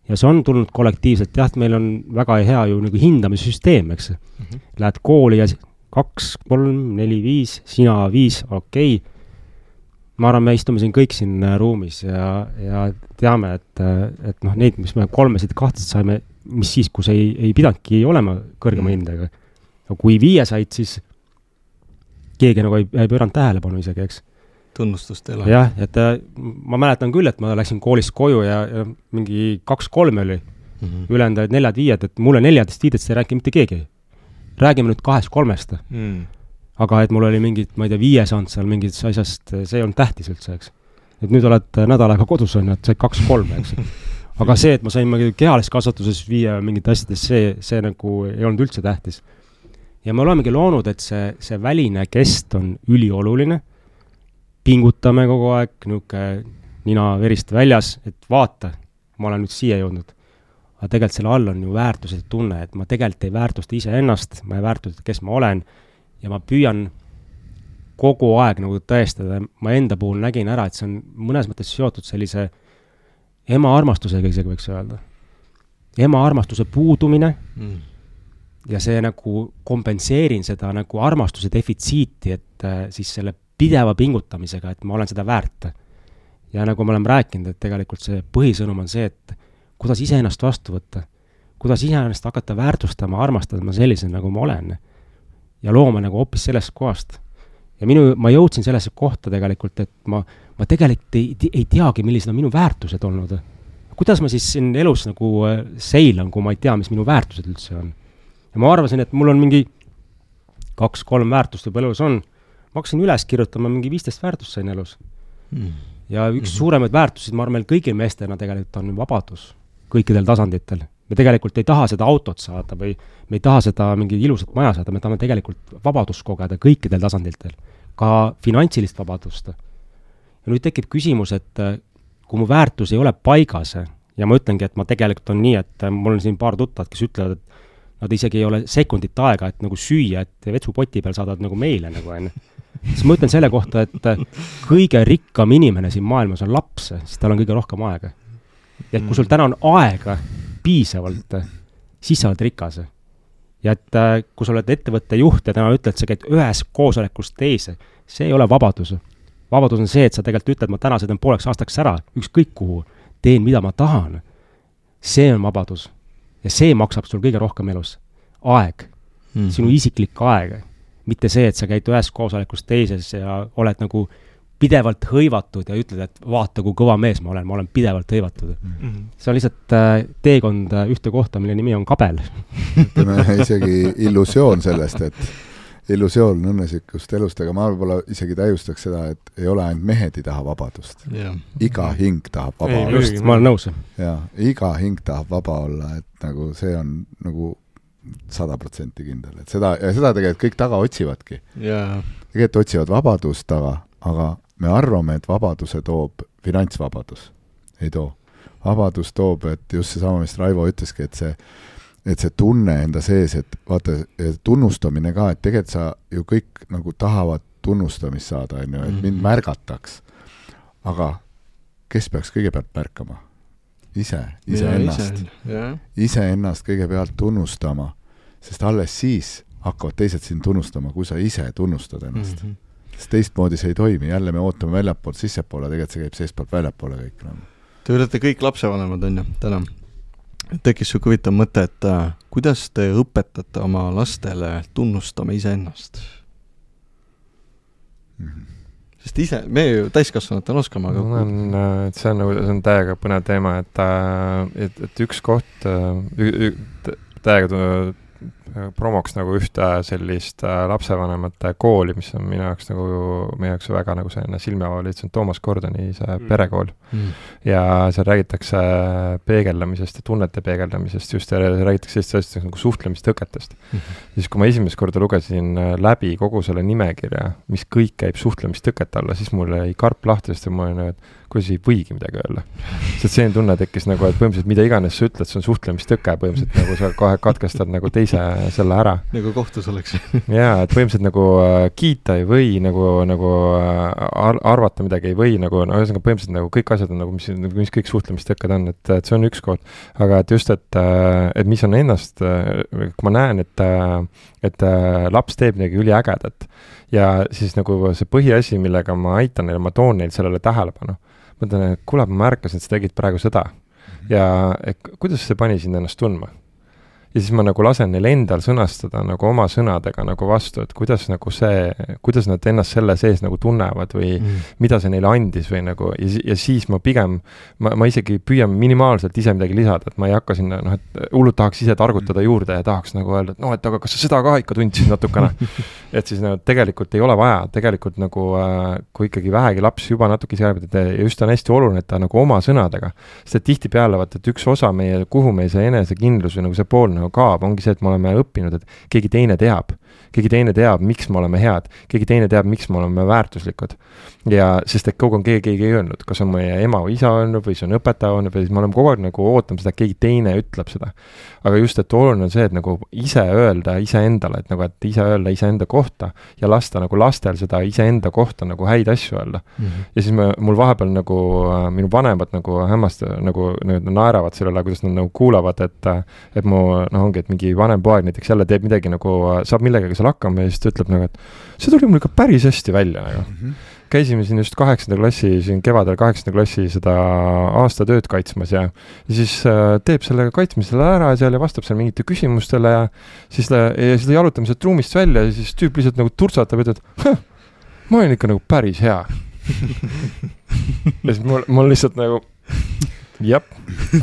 Ja see on tulnud kollektiivselt, jah, meil on väga hea ju nagu hindamissüsteem, eks. Mm-hmm. Lähed kooli ja kaks, kolm, neli, viis, sina viis, okei. Okay. Ma arvan, me istume siin kõik siin ruumis ja, ja teame, et, et noh, neid, mis me kolmesid kahtlaselt saime, mis siis, kus ei, ei pidanudki olema kõrgema hindega. Ja kui viie said, siis keegi nagu ei, ei pööranud tähelepanu isegi, eks. Tunnustust ei ole. Jah, et ma mäletan küll, et ma läksin koolist koju ja, ja mingi kaks-kolm oli mm-hmm. ülejäänud neljad-viied, et mulle neljadest-viidest ei räägi mitte keegi. Räägime nüüd kahest-kolmest. Mm. Aga et mul oli mingid, ma ei tea, viie saanud seal mingid asjast, see on tähtis üldse, eks. Et nüüd oled nädal aega kodus on, et sai kaks-kolm, eks. Aga see, et ma sain kehalist kasvatuses viie mingid asjades, see, see nagu ei olnud üldse tähtis. Ja me olemegi loonud, et see, see väline kest on ülioluline, pingutame kogu aeg, niuke nina verist väljas, et vaata, ma olen nüüd siia jõudnud. Aga tegelikult selle all on ju väärtused tunne, et ma tegelikult ei väärtusta ise ennast, ma ei väärtusta, kes ma olen, ja ma püüan kogu aeg nagu tõestada, ma enda puhul nägin ära, et see on mõnes mõttes seotud sellise ema armastusega isegi võiks öelda. Ema armastuse puudumine, mm. ja see nagu kompenseerin seda nagu armastuse defitsiiti, et äh, siis selle pideva pingutamisega, et ma olen seda väärt. Ja nagu me oleme rääkinud, et tegelikult see põhisõnum on see, et kuidas ise ennast vastu võtta, kuidas ise ennast hakata väärtustama, armastama sellise, nagu ma olen. Ja looma nagu hoopis sellest kohast. Ja minu, ma jõudsin sellesse kohta tegelikult, et ma, ma tegelikult ei, ei teagi, millised on minu väärtused olnud. Kuidas ma siis siin elus nagu seilan, kui ma ei tea, mis minu väärtused üldse on? ja ma arvasin, et mul on mingi kaks-kolm väärtust juba elus on, ma hakkasin üles kirjutama, mingi viisteist väärtust sain elus mm. ja üks mm-hmm. suuremaid väärtusid, ma arvan, kõigil meestena tegelikult on vabadus kõikidel tasanditel. Me tegelikult ei taha seda autot saada või me ei taha seda mingi ilusat maja saada, me tahame tegelikult vabadust kogeda kõikidel tasanditel, ka finantsilist vabadust. Ja nüüd tekib küsimus, et kui mu väärtus ei ole paigas ja ma ütlengi, et ma tegelikult on nii, et mul on siin paar tuttavad, kes ütlevad, et nad isegi ei ole sekundit aega, et nagu süüa, et vetsupoti peal saadavad nagu meile nagu enne. Siis ma ütlen selle kohta, et kõige rikkam inimene siin maailmas on laps, siis tal on kõige rohkem aega. Ja et kui sul täna on aega piisavalt, siis sa oled rikas. Ja et kui sa oled ettevõtte juht ja täna ütled, sa käid ühes koosolekust teise, see ei ole vabadus. Vabadus on see, et sa tegelikult ütled, ma täna sõidan pooleks aastaks ära, ükskõik kuhu, teen mida ma tahan. See on vabadus. Ja see maksab sul kõige rohkem elus. Aeg. Mm-hmm. Sinu isiklik aeg. Mitte see, et sa käid ühes koosolekust teises ja oled nagu pidevalt hõivatud ja ütled, et vaata, kui kõva mees ma olen, ma olen pidevalt hõivatud. Mm-hmm. See on lihtsalt äh, teekond äh, ühte kohta, mille nimi on kabel. Ütleme isegi illusioon sellest, et illusioon õnnesikust elust, aga ma võib-olla isegi täiustaks seda, et ei ole ainult mehed ei taha vabadust. Yeah. Iga hing tahab vaba ei, olla. Just, ma olen nõus. Ja, iga hing tahab vaba olla, et nagu see on nagu sada protsenti kindel. Et seda, ja seda tegelikult kõik taga otsivadki. Yeah. Tegelikult otsivad vabadust taga, aga me arvame, et vabaduse toob finantsvabadus. Ei too. Vabadus toob, et just see sama, mis Raivo ütleski, et see, et see tunne enda sees, et vaata, tunnustamine ka, et tegelikult sa ju kõik nagu tahavad tunnustamist saada, on ju, et mind märgataks. Aga kes peaks kõigepealt märkama? Ise, ise ja, ennast. Ise, ise ennast kõigepealt tunnustama, sest alles siis hakkavad teised siin tunnustama, kui sa ise tunnustad ennast. Mm-hmm. Sest teistmoodi see ei toimi, jälle me ootame väljapool sissepoole, tegelikult see käib seestpoolt väljapoole kõik. No. Te olete kõik lapsevanemad, on ju, täna. Tekkis siuke huvitav mõte, et äh, kuidas te õpetate oma lastele tunnustama iseennast? Mm-hmm. Sest ise, me ju täiskasvanutel oskama, aga no, on, et see on, see on täiega põnev teema, et, et, et üks koht ü, ü, täiega promoks nagu ühte sellist lapsevanemate kooli, mis on minu jaoks nagu, meie jaoks väga nagu selline silmeavali, see on Toomas Gordoni see mm. perekool. Mm. Ja seal räägitakse peegeldamisest ja tunnete peegeldamisest, just ja räägitakse sellist nagu suhtlemistõketest. Mm-hmm. Siis kui ma esimest korda lugesin läbi kogu selle nimekirja, mis kõik käib suhtlemistõkete alla, siis mul ei karp lahti, sest ma olen, et kuidas ei võigi midagi öelda. Sest see tunne tekkis nagu, et põhimõtteliselt mida iganes sa ütled, see on suhtlemistõke, põhimõtteliselt nagu sa kohe katkestad nagu teise selle ära. Nagu kohtus oleks. Jaa, et põhimõtteliselt nagu äh, kiita ei või, nagu, nagu ar- arvata midagi ei või, nagu, no ühesõnaga põhimõtteliselt nagu kõik asjad on nagu, mis, mis kõik suhtlemistõkked on, et, et see on üks koht. Aga et just, et, et mis on ennast, kui ma näen, et, et laps teeb midagi üliägedat ja siis nagu see põhiasi, millega ma aitan neile, ma toon neil sellele tähelepanu. Ma mõtlen, et kuule, ma märkasin, et sa tegid praegu seda. Ja et, kuidas see pani sind ennast tundma? Ja siis ma nagu lasen neil endal sõnastada nagu oma sõnadega nagu vastu, et kuidas nagu see, kuidas nad ennast selle sees nagu tunnevad või mm. mida see neile andis või nagu, ja, ja siis ma pigem, ma, ma isegi püüan minimaalselt ise midagi lisada, et ma ei hakka sinna, noh, et hullult tahaks ise targutada juurde ja tahaks nagu öelda, et noh, et aga kas sa seda ka ikka tundsid natukene. Et siis nagu tegelikult ei ole vaja, tegelikult nagu äh, kui ikkagi vähegi laps juba natuke ise arvab, et ja just on hästi oluline, et ta nagu oma sõnadega, sest tihti peale vaata, et üks osa meie, kuhu meie see enesekindlus või nagu see pool nagu kaab, ongi see, et me oleme õppinud, et keegi teine teab. Keegi teine teab, miks me oleme head. Keegi teine teab, miks me oleme väärtuslikud. Ja sest et kogu on keegi, keegi ei öelnud, kas on meie ema või isa öelnud või see on õpetaja öelnud või siis me oleme kogu aeg nagu ootama seda, et keegi teine ütleb seda. Aga just, et oluline on see, et nagu ise öelda ise endale, et nagu, et ise öelda ise enda kohta ja lasta nagu lastel seda ise enda kohta nagu häid asju öelda. Mm-hmm. Ja siis me, mul vahepeal nagu minu vanemad nagu hämmast nagu naeravad sellele, kuidas nad nagu kuulavad, et, et mu, noh ongi, et mingi vanem poeg näiteks jälle teeb midagi nagu, saab millegagi seal hakkama ja siis ta ütleb nagu, et see tuli mul ikka päris hästi välja nagu. Mm-hmm. Käisime siin just kaheksanda klassi, siin kevadel kaheksanda klassi seda aastatööd kaitsmas ja, ja siis äh, teeb selle kaitsmisele ära seal ja vastab seal mingite küsimustele ja siis, ja siis ta jalutame sealt ruumist välja ja siis tüüp lihtsalt nagu turtsatab ja ütleb, ma olen ikka nagu päris hea. Ja siis mul, mul lihtsalt nagu jep.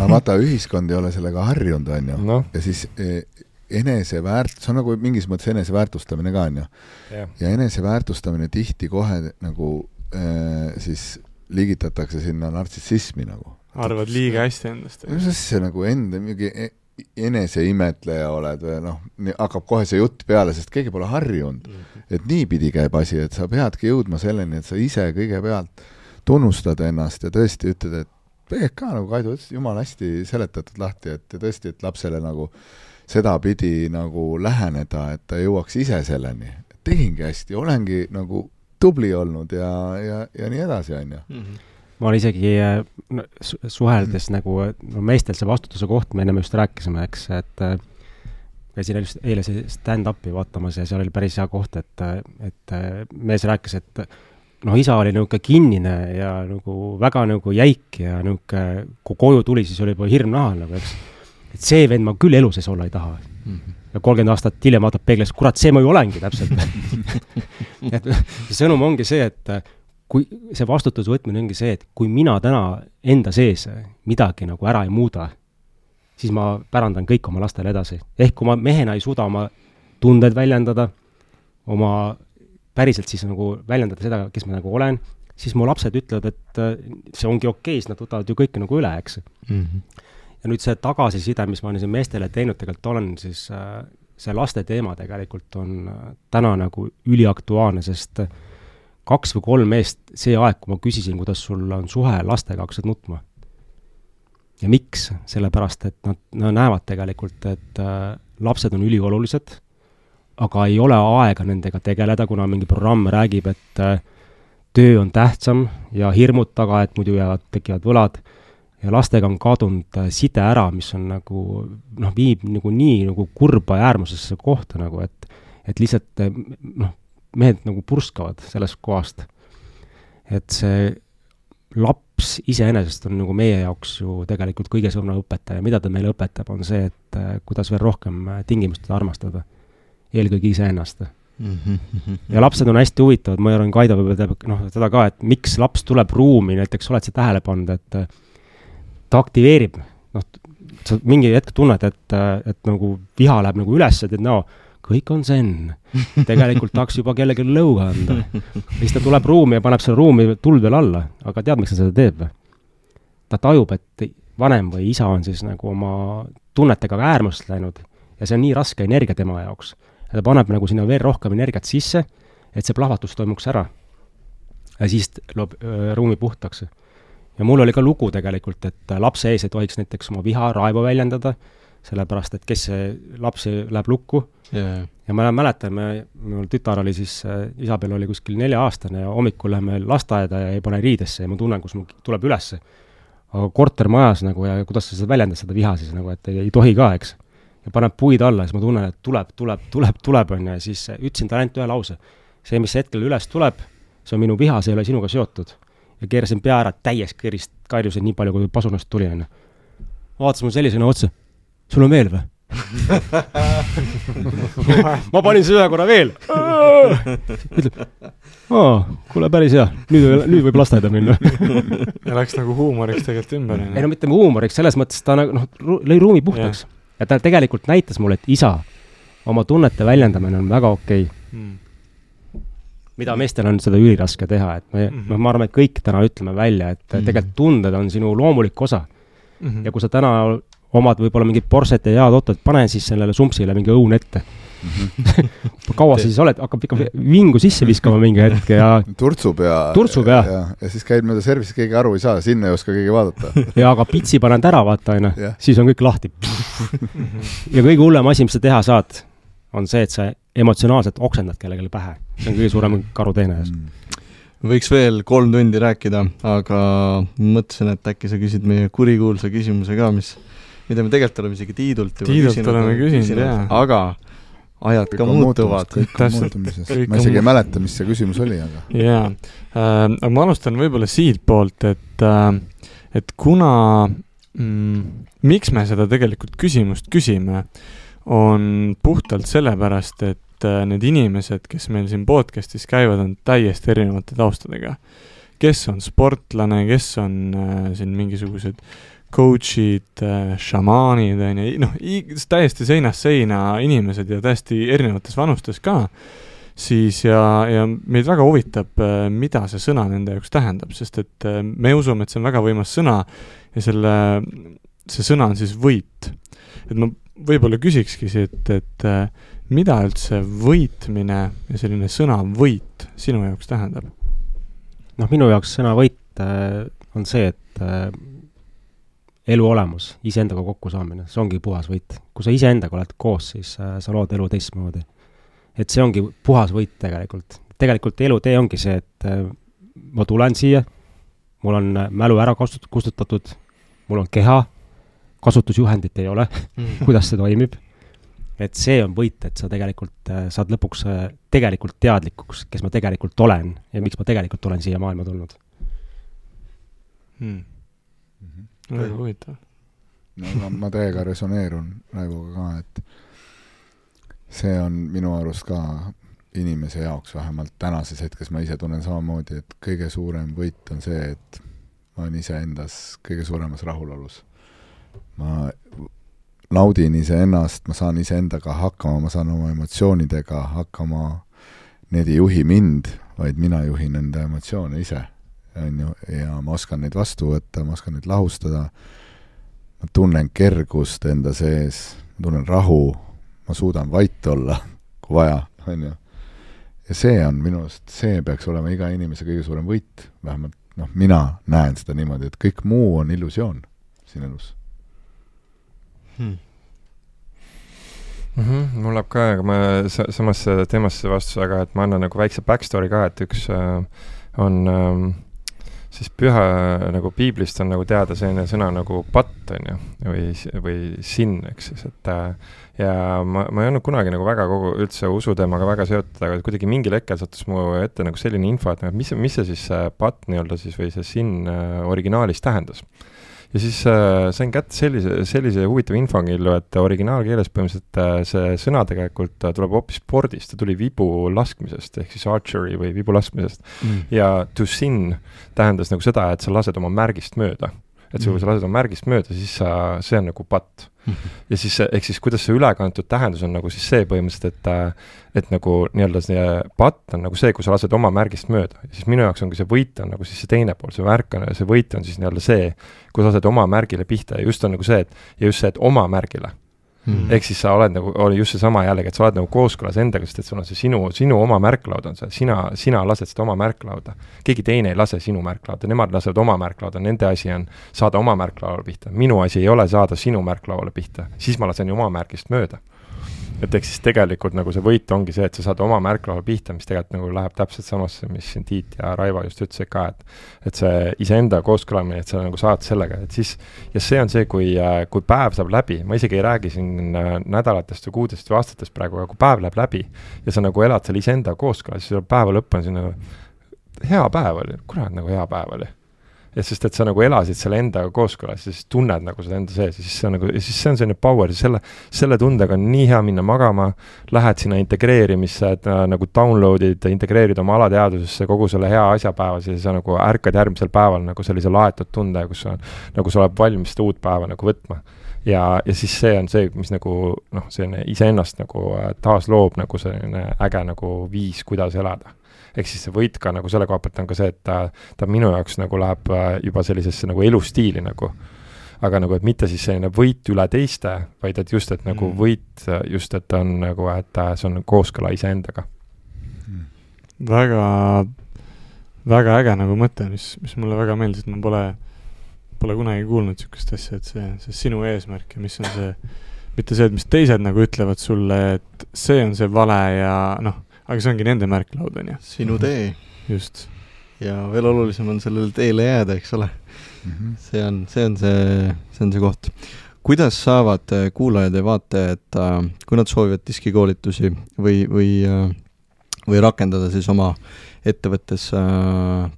Aga vaata, ühiskond ei ole sellega harjunud, on ju. No. Ja siis e, eneseväärt-, see on nagu mingis mõttes eneseväärtustamine ka, on ju. Yeah. Ja eneseväärtustamine tihti kohe nagu äh, siis liigitatakse sinna nartsissismi nagu. Arvad liiga hästi endast. Sest see nagu enda mingi eneseimetleja oled või noh, hakkab kohe see jutt peale, sest keegi pole harjunud. Et nii pidi käib asi, et sa peadki jõudma selleni, et sa ise kõigepealt tunnustad ennast ja tõesti ütled, et Peek ka nagu Kaidu ütles, jumal hästi seletatud lahti, et tõesti, et lapsele nagu seda pidi nagu läheneda, et ta jõuaks ise selleni. Tegingi hästi, olengi nagu tubli olnud ja, ja, ja nii edasi, on ju. Mm-hmm. Ma olen isegi no, suheldes mm. nagu no, meestel see vastutuse koht, me ennem just rääkisime, eks, et käisin eile see stand-upi vaatamas ja seal oli päris hea koht, et, et mees rääkis, et noh, isa oli niuke kinnine ja nagu väga nagu jäik ja niuke, kui koju tuli, siis oli juba hirm nahal, nagu, eks. Et see vend ma küll elu sees olla ei taha. Mm-hmm. Ja kolmkümmend aastat hiljem vaatab peegles, kurat, see ma ju olengi täpselt. Et sõnum ongi see, et kui see vastutus võtmine ongi see, et kui mina täna enda sees midagi nagu ära ei muuda, siis ma pärandan kõik oma lastele edasi. Ehk kui ma mehena ei suuda oma tunded väljendada, oma päriselt siis nagu väljendada seda, kes ma nagu olen, siis mu lapsed ütlevad, et see ongi okei, siis nad võtavad ju kõike nagu üle, eks. Mm-hmm. Ja nüüd see tagasiside, mis ma olen siin meestele teinud, tegelikult olen, siis see laste teema tegelikult on täna nagu üliaktuaalne, sest kaks või kolm meest see aeg, kui ma küsisin, kuidas sul on suhe lastega, hakkasid nutma. Ja miks? Sellepärast, et nad, nad näevad tegelikult, et äh, lapsed on üliolulised, aga ei ole aega nendega tegeleda, kuna mingi programm räägib, et äh, töö on tähtsam ja hirmud taga, et muidu jäävad, tekivad võlad. Ja lastega on kadunud äh, side ära, mis on nagu, noh, viib nagu nii nagu kurba äärmusesse kohta, nagu, et, et lihtsalt, noh, mehed nagu purskavad sellest kohast. Et see laps iseenesest on nagu meie jaoks ju tegelikult kõige suurem õpetaja. Mida ta meile õpetab, on see, et kuidas veel rohkem tingimust armastada. Eelkõige iseennast. Mm-hmm. Ja lapsed on hästi huvitavad. Ma arvan, Kaido võib teeb noh, seda ka, et miks laps tuleb ruumi, näiteks oled see tähele pannud, et ta aktiveerib. Noh, sa mingi hetk tunned, et, et nagu viha läheb nagu üles, et no, kõik on zen. Tegelikult tahaks juba kellegi lõuga anda. Siis ta tuleb ruumi ja paneb selle ruumi tuld veel alla. Aga tead, miks ta seda teeb? Ta tajub, et vanem või isa on siis nagu oma tunnetega äärmust läinud ja see on nii raske energia tema jaoks. Ja ta paneb nagu sinna veel rohkem energiat sisse, et see plahvatus toimuks ära. Ja siis loob öö, ruumi puhtaks. Ja mul oli ka lugu tegelikult, et lapse ees ei tohiks näiteks oma viha raevu väljendada, sellepärast, et kes see laps läheb lukku. Yeah. Ja ma mäletan, me, mul tütar oli siis, Isabel oli kuskil nelja aastane ja hommikul läheme lasteaeda ja ei pane riidesse ja ma tunnen, kus mul tuleb üles. Aga kortermajas nagu ja kuidas sa seda väljendad seda viha siis nagu, et ei, ei tohi ka, eks. Ja paneb puid alla ja siis ma tunnen, et tuleb, tuleb, tuleb, tuleb on ja siis ütlesin ta ainult ühe lause. See, mis hetkel üles tuleb, see on minu viha, see ei ole sinuga seotud. Ja keerasin pea ära täies kõrist, kairjusin nii palju, kui pasunast tuli. Vaatas mul sellisena otsa. Sul on veel või? Ma panin see ühe korra veel. Ütleb, aa, kuule päris hea, nüüd, nüüd võib lasteaeda minna. Ja läks nagu huumoriks tegelikult ümber. Ei no mitte huumoriks, selles mõttes ta nagu, noh, lõi ruumi puhtaks. Ja. ja ta tegelikult näitas mulle, et isa, oma tunnete väljendamine on väga okei. Hmm. Mida meestel on seda üliraske teha, et me, mm -hmm. ma arvan, et kõik täna ütleme välja, et mm -hmm. tegelikult tunded on sinu loomulik osa. Mm -hmm. Ja kui sa täna omad võib-olla mingid porset ja head otot, pane siis sellele sumpsile mingi õun ette. Mm-hmm. Kaua sa siis oled, hakkab ikka vingu sisse viskama mingi hetk ja turtsub ja, turtsub, ja. ja, ja siis käid mööda servisi, keegi aru ei saa, sinna ei oska keegi vaadata. Ja aga pitsi paned ära, vaata aina, siis on kõik lahti. Ja kõige hullem asi, mis sa teha saad, on see, et sa emotsionaalselt oksendad kellelegi pähe. See on kõige suurem karuteene. Mm. Võiks veel kolm tundi rääkida, aga mõtlesin, et äkki sa küsid meie kurikuulsa küsimuse ka, mis mida me tegelikult oleme isegi Tiidult Tiidult küsinud, oleme küsinud, jah. Aga ajad kõik ka muutuvad. Kõik on muutumises. Ma isegi ei mäleta, mis see küsimus oli, aga... Jaa, äh, ma alustan võib-olla siit poolt, et, äh, et kuna mm, miks me seda tegelikult küsimust küsime, on puhtalt sellepärast, et äh, need inimesed, kes meil siin podcastis käivad, on täiesti erinevate taustadega. Kes on sportlane, kes on äh, siin mingisugused coach'id, šamaanid, on ju, noh, täiesti seinast seina inimesed ja täiesti erinevates vanustes ka, siis ja, ja meid väga huvitab, mida see sõna nende jaoks tähendab, sest et me usume, et see on väga võimas sõna ja selle, see sõna on siis võit. Et ma võib-olla küsikski siit, et mida üldse võitmine ja selline sõna võit sinu jaoks tähendab? Noh, minu jaoks sõna võit on see, et elu olemus, iseendaga kokku saamine, see ongi puhas võit. Kui sa iseendaga oled koos, siis sa lood elu teistmoodi. Et see ongi puhas võit tegelikult. Tegelikult elu tee ongi see, et ma tulen siia, mul on mälu ära kustutatud, mul on keha, kasutusjuhendit ei ole, mm. kuidas see toimib. Et see on võit, et sa tegelikult saad lõpuks tegelikult teadlikuks, kes ma tegelikult olen ja miks ma tegelikult olen siia maailma tulnud. Hmm. Mm-hmm. Väga huvitav. No, ma, ma täiega resoneerun Raivoga ka, et see on minu arust ka inimese jaoks, vähemalt tänases hetkes ma ise tunnen samamoodi, et kõige suurem võit on see, et ma olen ise endas kõige suuremas rahulolus. Ma naudin ise ennast, ma saan ise endaga hakkama, ma saan oma emotsioonidega hakkama, need ei juhi mind, vaid mina juhin enda emotsioone ise. On ju, ja ma oskan neid vastu võtta, ma oskan neid lahustada, ma tunnen kergust enda sees, ma tunnen rahu, ma suudan vait olla, kui vaja, on ju. Ja see on minu arust, see peaks olema iga inimese kõige suurem võit, vähemalt noh, mina näen seda niimoodi, et kõik muu on illusioon siin elus. Hmm. Mm-hmm, mul läheb ka, aga ma samasse teemasse vastus, aga et ma annan nagu väikse backstory ka, et üks äh, on äh, siis püha nagu piiblist on nagu teada selline sõna nagu patt on ju, või, või sin, eks siis, et äh, ja ma, ma ei olnud kunagi nagu väga kogu üldse usuteemaga väga seotud, aga kuidagi mingil hetkel sattus mu ette nagu selline info, et mis, mis see siis patt nii-öelda siis või see sin äh, originaalis tähendas. Ja siis äh, sain kätte sellise, sellise huvitava infongillu, et originaalkeeles põhimõtteliselt äh, see sõna tegelikult äh, tuleb hoopis spordist, ta tuli vibu laskmisest, ehk siis archery või vibu laskmisest. Mm. Ja to sin tähendas nagu seda, et sa lased oma märgist mööda. Et mm. kui sa lased oma märgist mööda, siis sa, see on nagu patt. Mm. Ja siis, ehk siis kuidas see ülekantud tähendus on nagu siis see põhimõtteliselt, et, et nagu nii-öelda see patt on nagu see, kui sa lased oma märgist mööda. Ja siis minu jaoks ongi see võit on nagu siis see teine pool, see märk on, see võit on siis nii-öelda see, kui sa lased oma märgile pihta ja just on nagu see, et, ja just see, et oma märgile. Mm. Ehk siis sa oled nagu, oli just see sama jällegi, et sa oled nagu kooskõlas endaga, sest et sul on see sinu, sinu oma märklaud on see, sina, sina lased seda oma märklauda. Keegi teine ei lase sinu märklauda, nemad lasevad oma märklauda, nende asi on saada oma märklaudale pihta. Minu asi ei ole saada sinu märklaudale pihta, siis ma lasen ju oma märgist mööda. Et eks siis tegelikult nagu see võit ongi see, et sa saad oma märklaudale pihta, mis tegelikult nagu läheb täpselt samasse, mis siin Tiit ja Raivo just ütlesid ka, et, et see iseenda kooskõlamine, et sa nagu saad sellega, et siis, ja see on see, kui, kui päev saab läbi, ma isegi ei räägi siin nädalatest või kuudest või aastatest praegu, aga kui päev läheb läbi ja sa nagu elad seal iseenda kooskõla, siis päeva lõpp on siin nagu hea päev oli, kurat nagu hea päev oli. Ja sest, et sa nagu elasid selle endaga kooskõlas ja siis tunned nagu seda enda sees ja siis see on nagu, ja siis see on selline power ja selle, selle tundega on nii hea minna magama, lähed sinna integreerimisse, et äh, nagu downloadid, integreerid oma alateadusesse kogu selle hea asja päevas ja sa nagu ärkad järgmisel päeval nagu sellise laetud tunde, kus sa, nagu sa oled valmis seda uut päeva nagu võtma. Ja, ja siis see on see, mis nagu, noh, selline iseennast nagu äh, taas loob nagu selline äge nagu viis, kuidas elada. Ehk siis see võit ka nagu selle koha pealt on ka see, et ta, ta minu jaoks nagu läheb juba sellisesse nagu elustiili nagu. Aga nagu, et mitte siis selline võit üle teiste, vaid et just, et nagu mm. võit just, et on nagu, et see on kooskõla iseendaga. Mm. Väga, väga äge nagu mõte, mis, mis mulle väga meeldis, et ma pole, pole kunagi kuulnud sükest asja, et see, see sinu eesmärk ja mis on see, mitte see, et mis teised nagu ütlevad sulle, et see on see vale ja noh, aga see ongi nende märklaud, on ju. Sinu tee. Just. Ja veel olulisem on sellele teele jääda, eks ole. Mm-hmm. See on, see on see, see on see koht. Kuidas saavad kuulajad ja vaatajad, kui nad soovivad diskikoolitusi või, või, või rakendada siis oma ettevõttes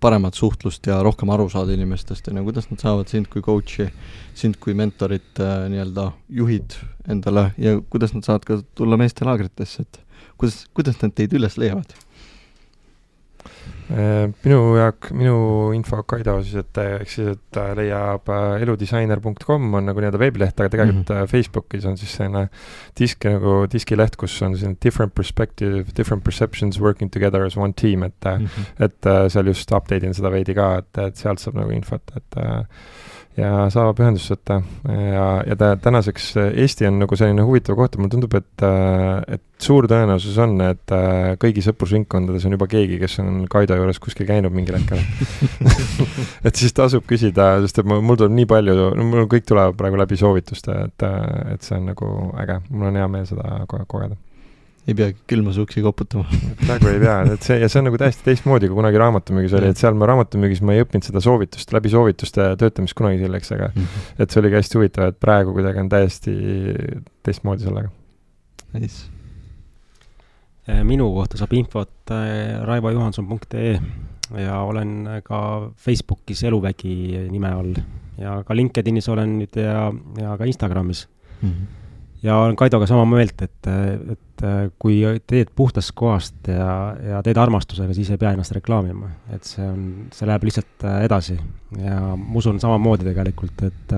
paremat suhtlust ja rohkem aru saada inimestest, ja kuidas nad saavad sind kui coachi, sind kui mentorit nii-öelda juhid endale ja kuidas nad saavad ka tulla meeste laagritesse, et Kuidas, kuidas nad teid üles leiavad? Minu jaak, minu info Kaido siis, et eks siis, et leiab eludisainer punkt com on nagu nii-öelda veebileht, aga tegelikult mm-hmm. Facebookis on siis selline disk nagu diskileht, kus on selline different perspective, different perceptions working together as one team, et mm-hmm. et seal just update'in seda veidi ka, et, et sealt saab nagu infot, et ja saab ühendust võtta ja, ja ta tänaseks Eesti on nagu selline huvitav koht, mulle tundub, et, et suur tõenäosus on, et kõigi sõprusringkondades on juba keegi, kes on Kaido juures kuskil käinud mingil hetkel. et siis tasub küsida, sest et mul tuleb nii palju, mul kõik tuleb praegu läbi soovituste, et, et see on nagu äge, mul on hea meel seda kogeda. Ei pea külma suuksi koputama. Praegu ei pea, et see, ja see on nagu täiesti teistmoodi, kui kunagi raamatümüügis oli, et seal ma raamatümüügis ma ei õppinud seda soovitust, läbi soovituste töötamist kunagi selleks, aga mm-hmm. et see oli ka hästi huvitav, et praegu kuidagi on täiesti teistmoodi sellega. Nice. Minu kohta saab infot raivo johanson punkt ee ja olen ka Facebookis Eluvägi nime all ja ka LinkedInis olen nüüd ja, ja ka Instagramis. Mm-hmm. Ja olen Kaidoga sama meelt, et, et kui teed puhtast kohast ja, ja teed armastusega, siis ei pea ennast reklaamima. Et see on, see läheb lihtsalt edasi. Ja ma usun samamoodi tegelikult, et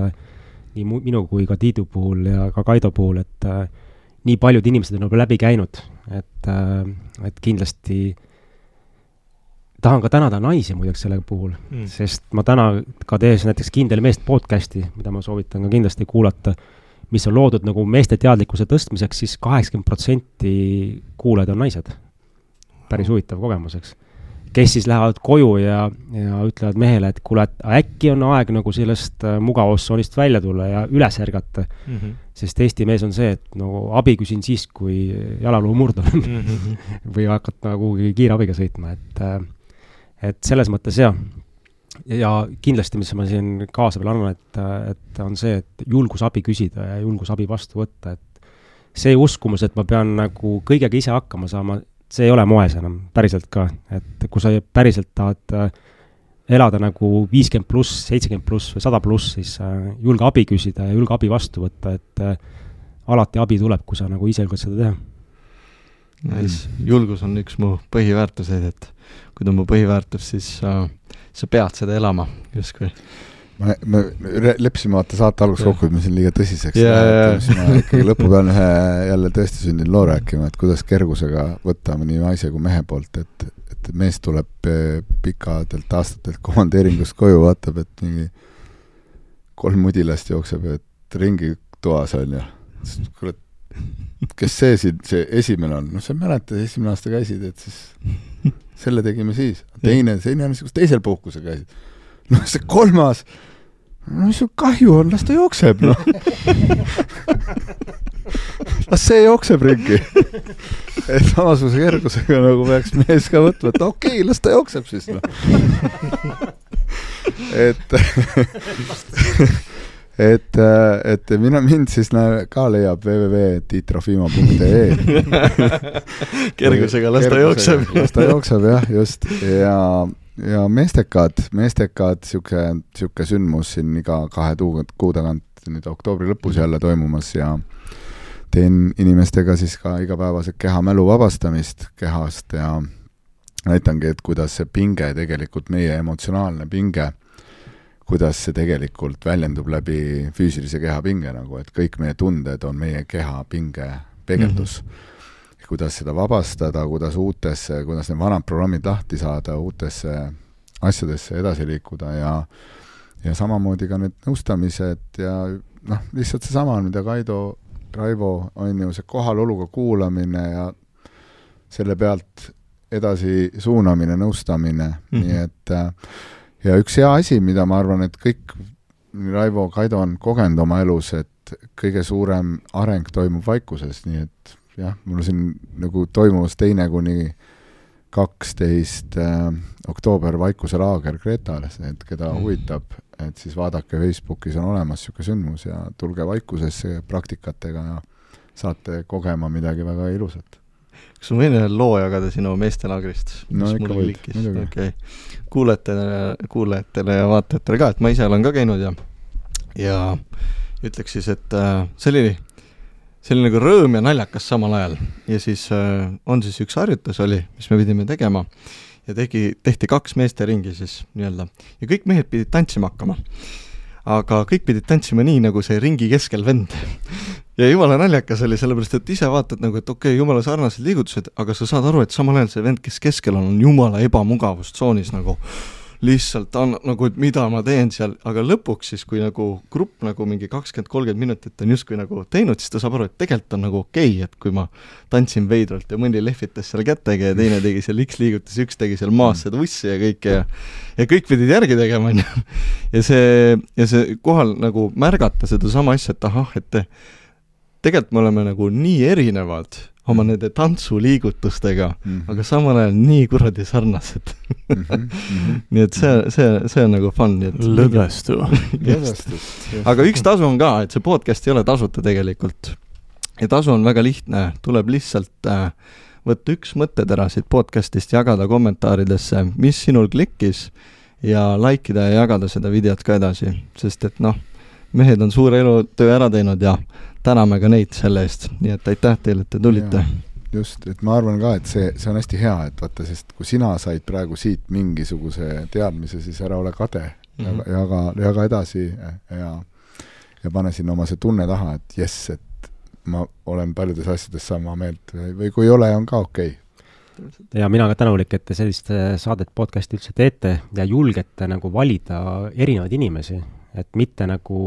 nii minu kui ka Tiidu puhul ja ka Kaido puhul, et nii paljud inimesed on juba läbi käinud. Et, et kindlasti tahan ka tänada naisi muideks selle puhul, mm. sest ma täna ka tees näiteks Kindel meest podcasti, mida ma soovitan ka kindlasti kuulata, mis on loodud nagu meeste teadlikkuse tõstmiseks, siis kaheksakümmend protsenti kuulajad on naised. Päris huvitav kogemuseks. Kes siis lähevad koju ja, ja ütlevad mehele, et kuule, et äkki on aeg nagu sellest mugavussoonist välja tulla ja üles ärgata. Mm-hmm. Sest Eesti mees on see, et nagu abi küsin siis, kui jalaluu murdub mm-hmm. või hakata nagu kiirabiga sõitma. Et, et selles mõttes jah. Ja kindlasti, mis ma siin kaasa veel annan, et, et on see, et julgus abi küsida ja julgus abi vastu võtta, et see uskumus, et ma pean nagu kõigega ise hakkama saama, see ei ole moes enam, päriselt ka, et kui sa päriselt tahad elada nagu viiskümmend pluss, seitsekümmend pluss või sada pluss, siis julge abi küsida ja julge abi vastu võtta, et alati abi tuleb, kui sa nagu ise julged seda teha. Nice. Julgus on üks mu põhiväärtuseid, et kui ta on mu põhiväärtus, siis uh, sa pead seda elama, justkui. Ma, me lepsime vaata saate alguses kokku, et me siin liiga tõsiseks yeah. Siis ma ikkagi lõpu pean ühe jälle tõesti sündin loo rääkima, et kuidas kergusega võtta nii naise kui mehe poolt, et, et mees tuleb pikadelt aastatelt komandeeringust koju, vaatab, et mingi kolm mudilast jookseb, et ringi toas on ja kuule, kes see siin, see esimene on, no sa mäletad, esimene aasta käisid, et siis selle tegime siis. Teine, teine on niisugust teisel puhkuse käisid. No see kolmas, no mis sul kahju on, las ta jookseb, noh. Las see jookseb ringi. Et samasuguse kergusega nagu peaks mees ka võtma, et okei, okay, las ta jookseb siis, noh. Et et, et mina mind siis näe, ka leiab double-u double-u double punkt tiit trofimo punkt ee kergusega las ta jookseb. Las ta jookseb, jah, just. Ja, ja meestekad, meestekad siuke, siuke sündmus siin iga kahe kuu tagant nüüd oktoobri lõpus jälle toimumas ja teen inimestega siis ka igapäevased kehamälu vabastamist kehast ja näitangi, et kuidas see pinge tegelikult, meie emotsionaalne pinge, kuidas see tegelikult väljendub läbi füüsilise keha pinge, nagu, et kõik meie tunded on meie keha pinge peegeldus. Mm-hmm. Kuidas seda vabastada, kuidas uutesse, kuidas need vanad programmid lahti saada, uutesse asjadesse edasi liikuda ja, ja samamoodi ka need nõustamised ja noh, lihtsalt see sama, mida Kaido, Raivo on ju see kohaloluga kuulamine ja selle pealt edasi suunamine, nõustamine, mm-hmm. nii et ja üks hea asi, mida ma arvan, et kõik Raivo, Kaido on kogenud oma elus, et kõige suurem areng toimub vaikuses, nii et jah, mul siin nagu toimus teine kuni kaksteist äh, oktoober vaikuse laager Kreetales, et keda mm. huvitab, et siis vaadake Facebookis on olemas siuke sündmus ja tulge vaikusesse praktikatega ja saate kogema midagi väga ilusat. Kas ma võin loo jagada sinu meestelaagrist? No ikka võid, muidugi. Okay. Kuulajatele, kuulajatele ja vaatajatele ka, et ma ise olen ka käinud ja, ja ütleks siis, et äh, see oli, see oli nagu rõõm ja naljakas samal ajal. Ja siis äh, on siis üks harjutus oli, mis me pidime tegema ja tegi, tehti kaks meeste ringi siis nii-öelda. Ja kõik mehed pidid tantsima hakkama. Aga kõik pidid tantsima nii, nagu see ringi keskel vend. Ja jumala naljakas oli, sellepärast, et ise vaatad nagu, et okei, okay, jumala sarnased liigutused, aga sa saad aru, et samal ajal see vend, kes keskel on, on jumala ebamugavustsoonis nagu lihtsalt on, nagu, et mida ma teen seal, aga lõpuks siis, kui nagu grupp nagu mingi kakskümmend kolmkümmend minutit on justkui nagu teinud, siis ta saab aru, et tegelikult on nagu okei, okay, et kui ma tantsin veidralt ja mõni lehvitas seal kättega ja teine tegi seal X-liigutus, üks tegi seal maas seda ussi ja kõike ja, ja kõik pidid järgi tegema, ja see, ja see kohal nagu märgata seda sama asja, et ahah, et tegelikult me oleme nagu nii erinevad oma nende tantsuliigutustega, mm-hmm. aga samal ajal nii kuradi sarnased. mm-hmm. Mm-hmm. Nii et see, see, see on nagu fun. Lõdvestu. aga üks tasu on ka, et see podcast ei ole tasuta tegelikult. Ja tasu on väga lihtne, tuleb lihtsalt äh, võtta üks mõttetera siit podcastist, jagada kommentaaridesse, mis sinul klikkis ja likeida ja jagada seda videot ka edasi, sest et noh, mehed on suure elutöö ära teinud ja täname ka neid selle eest, nii et aitäh teile, et te tulite. Ja, just, et ma arvan ka, et see, see on hästi hea, et vaata, sest kui sina said praegu siit mingisuguse teadmise, siis ära ole kade, mm-hmm. jaga, jaga edasi ja, ja pane sinna oma see tunne taha, et jess, et ma olen paljudes asjades sama meelt või kui ei ole, on ka okei. Ja mina ka tänulik, et te sellist saadet podcasti üldse teete ja julgete nagu valida erinevaid inimesi, et mitte nagu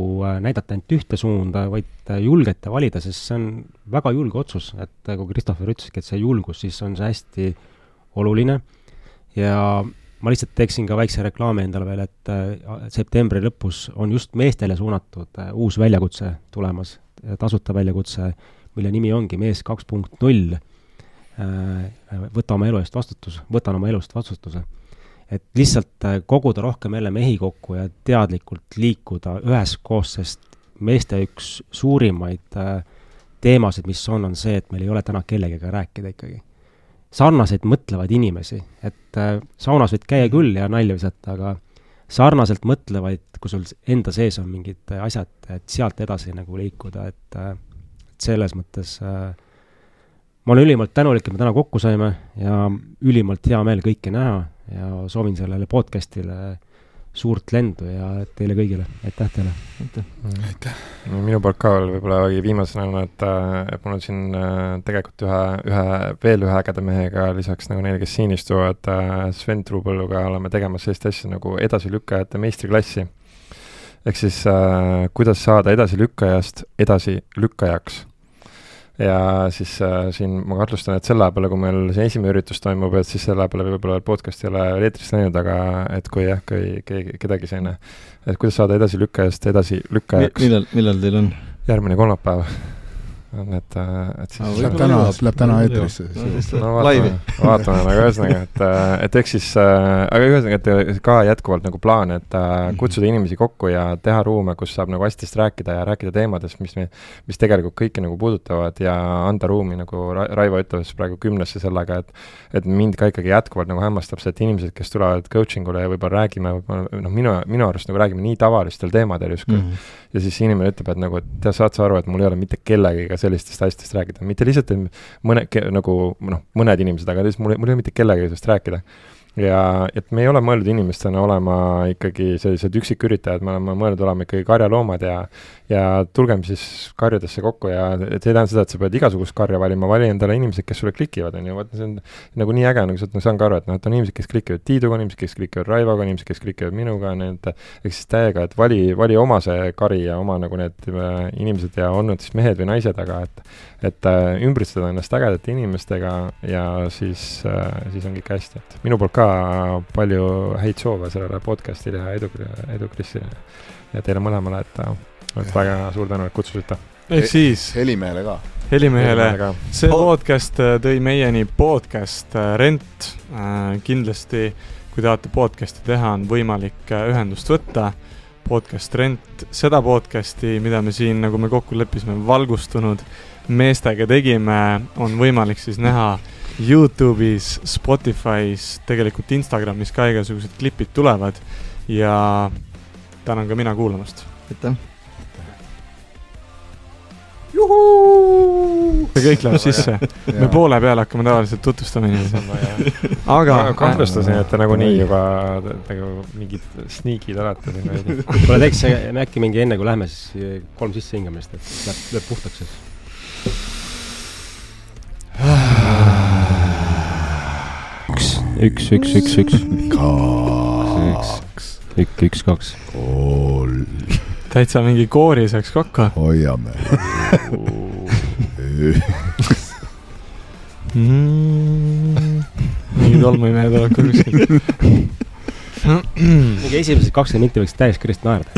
näidata ainult ühte suunda, vaid julgete valida, sest see on väga julge otsus, et kui Christopher ütleski, et see julgus, siis on see hästi oluline ja ma lihtsalt teeksin ka väikse reklaami endale veel, et septembri lõpus on just meestele suunatud uus väljakutse tulemas, tasuta väljakutse, mille nimi ongi Mees kaks punkt null, võta oma elu eest vastutus, võtan oma elust vastutuse. Et lihtsalt koguda rohkem jälle mehi kokku ja teadlikult liikuda üheskoos, sest meeste üks suurimaid teemasid, mis on, on see, et meil ei ole täna kellegagi rääkida ikkagi. Sarnaseid mõtlevad inimesi, et saunas võid käia küll ja nalja visata, aga sarnaselt mõtlevaid, kui sul enda sees on mingid asjad, et sealt edasi nagu liikuda, et, et selles mõttes ma olen ülimalt tänulik, et me täna kokku saime ja ülimalt hea meel kõike näha ja soovin sellele podcastile suurt lendu ja teile kõigile. Aitäh teile. Aitäh. Aitäh. Minu poolt ka võib-olla viimasena, et, et mul on siin tegelikult ühe, ühe, veel ühe ägeda mehega lisaks nagu neile, kes siin istuvad, Sven Truupõlluga oleme tegemas sellist asja nagu edasilükkajate meistriklassi. Ehk siis äh, kuidas saada edasilükkajast edasilükkajaks. Ja siis äh, siin ma kartustan, et selle peale, kui meil see esimene üritus toimub, et siis selle peale võib-olla podcast ei ole eetrist läinud, aga et kui jah, kui keegi, kedagi selline, et kuidas saada edasi lükkajast edasi lükkajaks. Millal, millal teil on? Järgmine kolmapäev. On, et, et siis... Ah, läheb täna, läheb täna eetrisse. No, vaatame, vaatame nagu ühesõnaga, et, et eks siis, aga ühesõnaga, et ka jätkuvalt nagu plaan, et kutsuda inimesi kokku ja teha ruume, kus saab nagu hästist rääkida ja rääkida teemadest, mis, me, mis tegelikult kõiki nagu puudutavad ja anda ruumi, nagu Raivo ütles praegu kümnesse sellega, et, et mind ka ikkagi jätkuvalt nagu hämmastab see, et inimesed, kes tulevad coachingule ja võib-olla räägime, noh, minu, minu arust nagu räägime nii tavalistel teemadel justkui. Mm -hmm. Ja siis inimene ütleb, et nagu, et te saad sa aru, et mul ei ole mitte kellegiga sellistest asjadest rääkida. Mitte lihtsalt mõne, nagu, noh, mõned inimesed, aga lihtsalt mul, mul ei ole mitte kellegiga sellest rääkida. Ja et me ei ole mõeldud inimestena olema ikkagi sellised üksiküritajad, me oleme mõeldud olema ikkagi karjaloomad ja, ja tulgem siis karjadesse kokku ja et see tähendab seda, et sa pead igasugust karja valima, vali endale inimesed, kes sulle klikivad, on ju, vaata, see on nagu nii äge, nagu sa saan ka aru, et noh, et on inimesed, kes klikivad Tiiduga, inimesed, kes klikivad Raivoga, inimesed, kes klikivad minuga, need, eks siis täiega, et vali, vali oma see kari ja oma nagu need inimesed ja olnud siis mehed või naised, aga et, et ümbritseda ennast ägedate inimestega ja siis, siis on kõik hästi, et minu poolt ka palju häid soove sellele podcastile ja edu, edu Krisile ja teile mõlemale, et, et väga suur tänu, et kutsusite. Ehk siis Helimehele ka. Helimehele. See podcast tõi meieni podcast Rent. Kindlasti, kui tahate podcasti teha, on võimalik ühendust võtta. Podcast Rent. Seda podcasti, mida me siin, nagu me kokku leppisime, valgustunud meestega tegime, on võimalik siis näha YouTube'is, Spotify's, tegelikult Instagramis ka igasugused klipid tulevad ja tänan ka mina kuulamast. Aitäh! see kõik läheb sisse. Me poole peale hakkame tavaliselt tutvustama inimesi. Aga ma kahtlustasin, et te nagu nii juba nagu mingid sneakid olete siin veidi. Kuule, teeks me äkki mingi enne, kui lähme, siis kolm sisse hingamist, et läheb, läheb puhtaks siis. Üks, üks, üks, üks, üks. Kaks. Üks, üks, kaks. Kolm. Täitsa mingi koori saaks kokku. Hoiame. Mingi tolmuimehed oled ka kuskil. Mingi esimesed kakskümmend minti võiks täies kirjast naerda.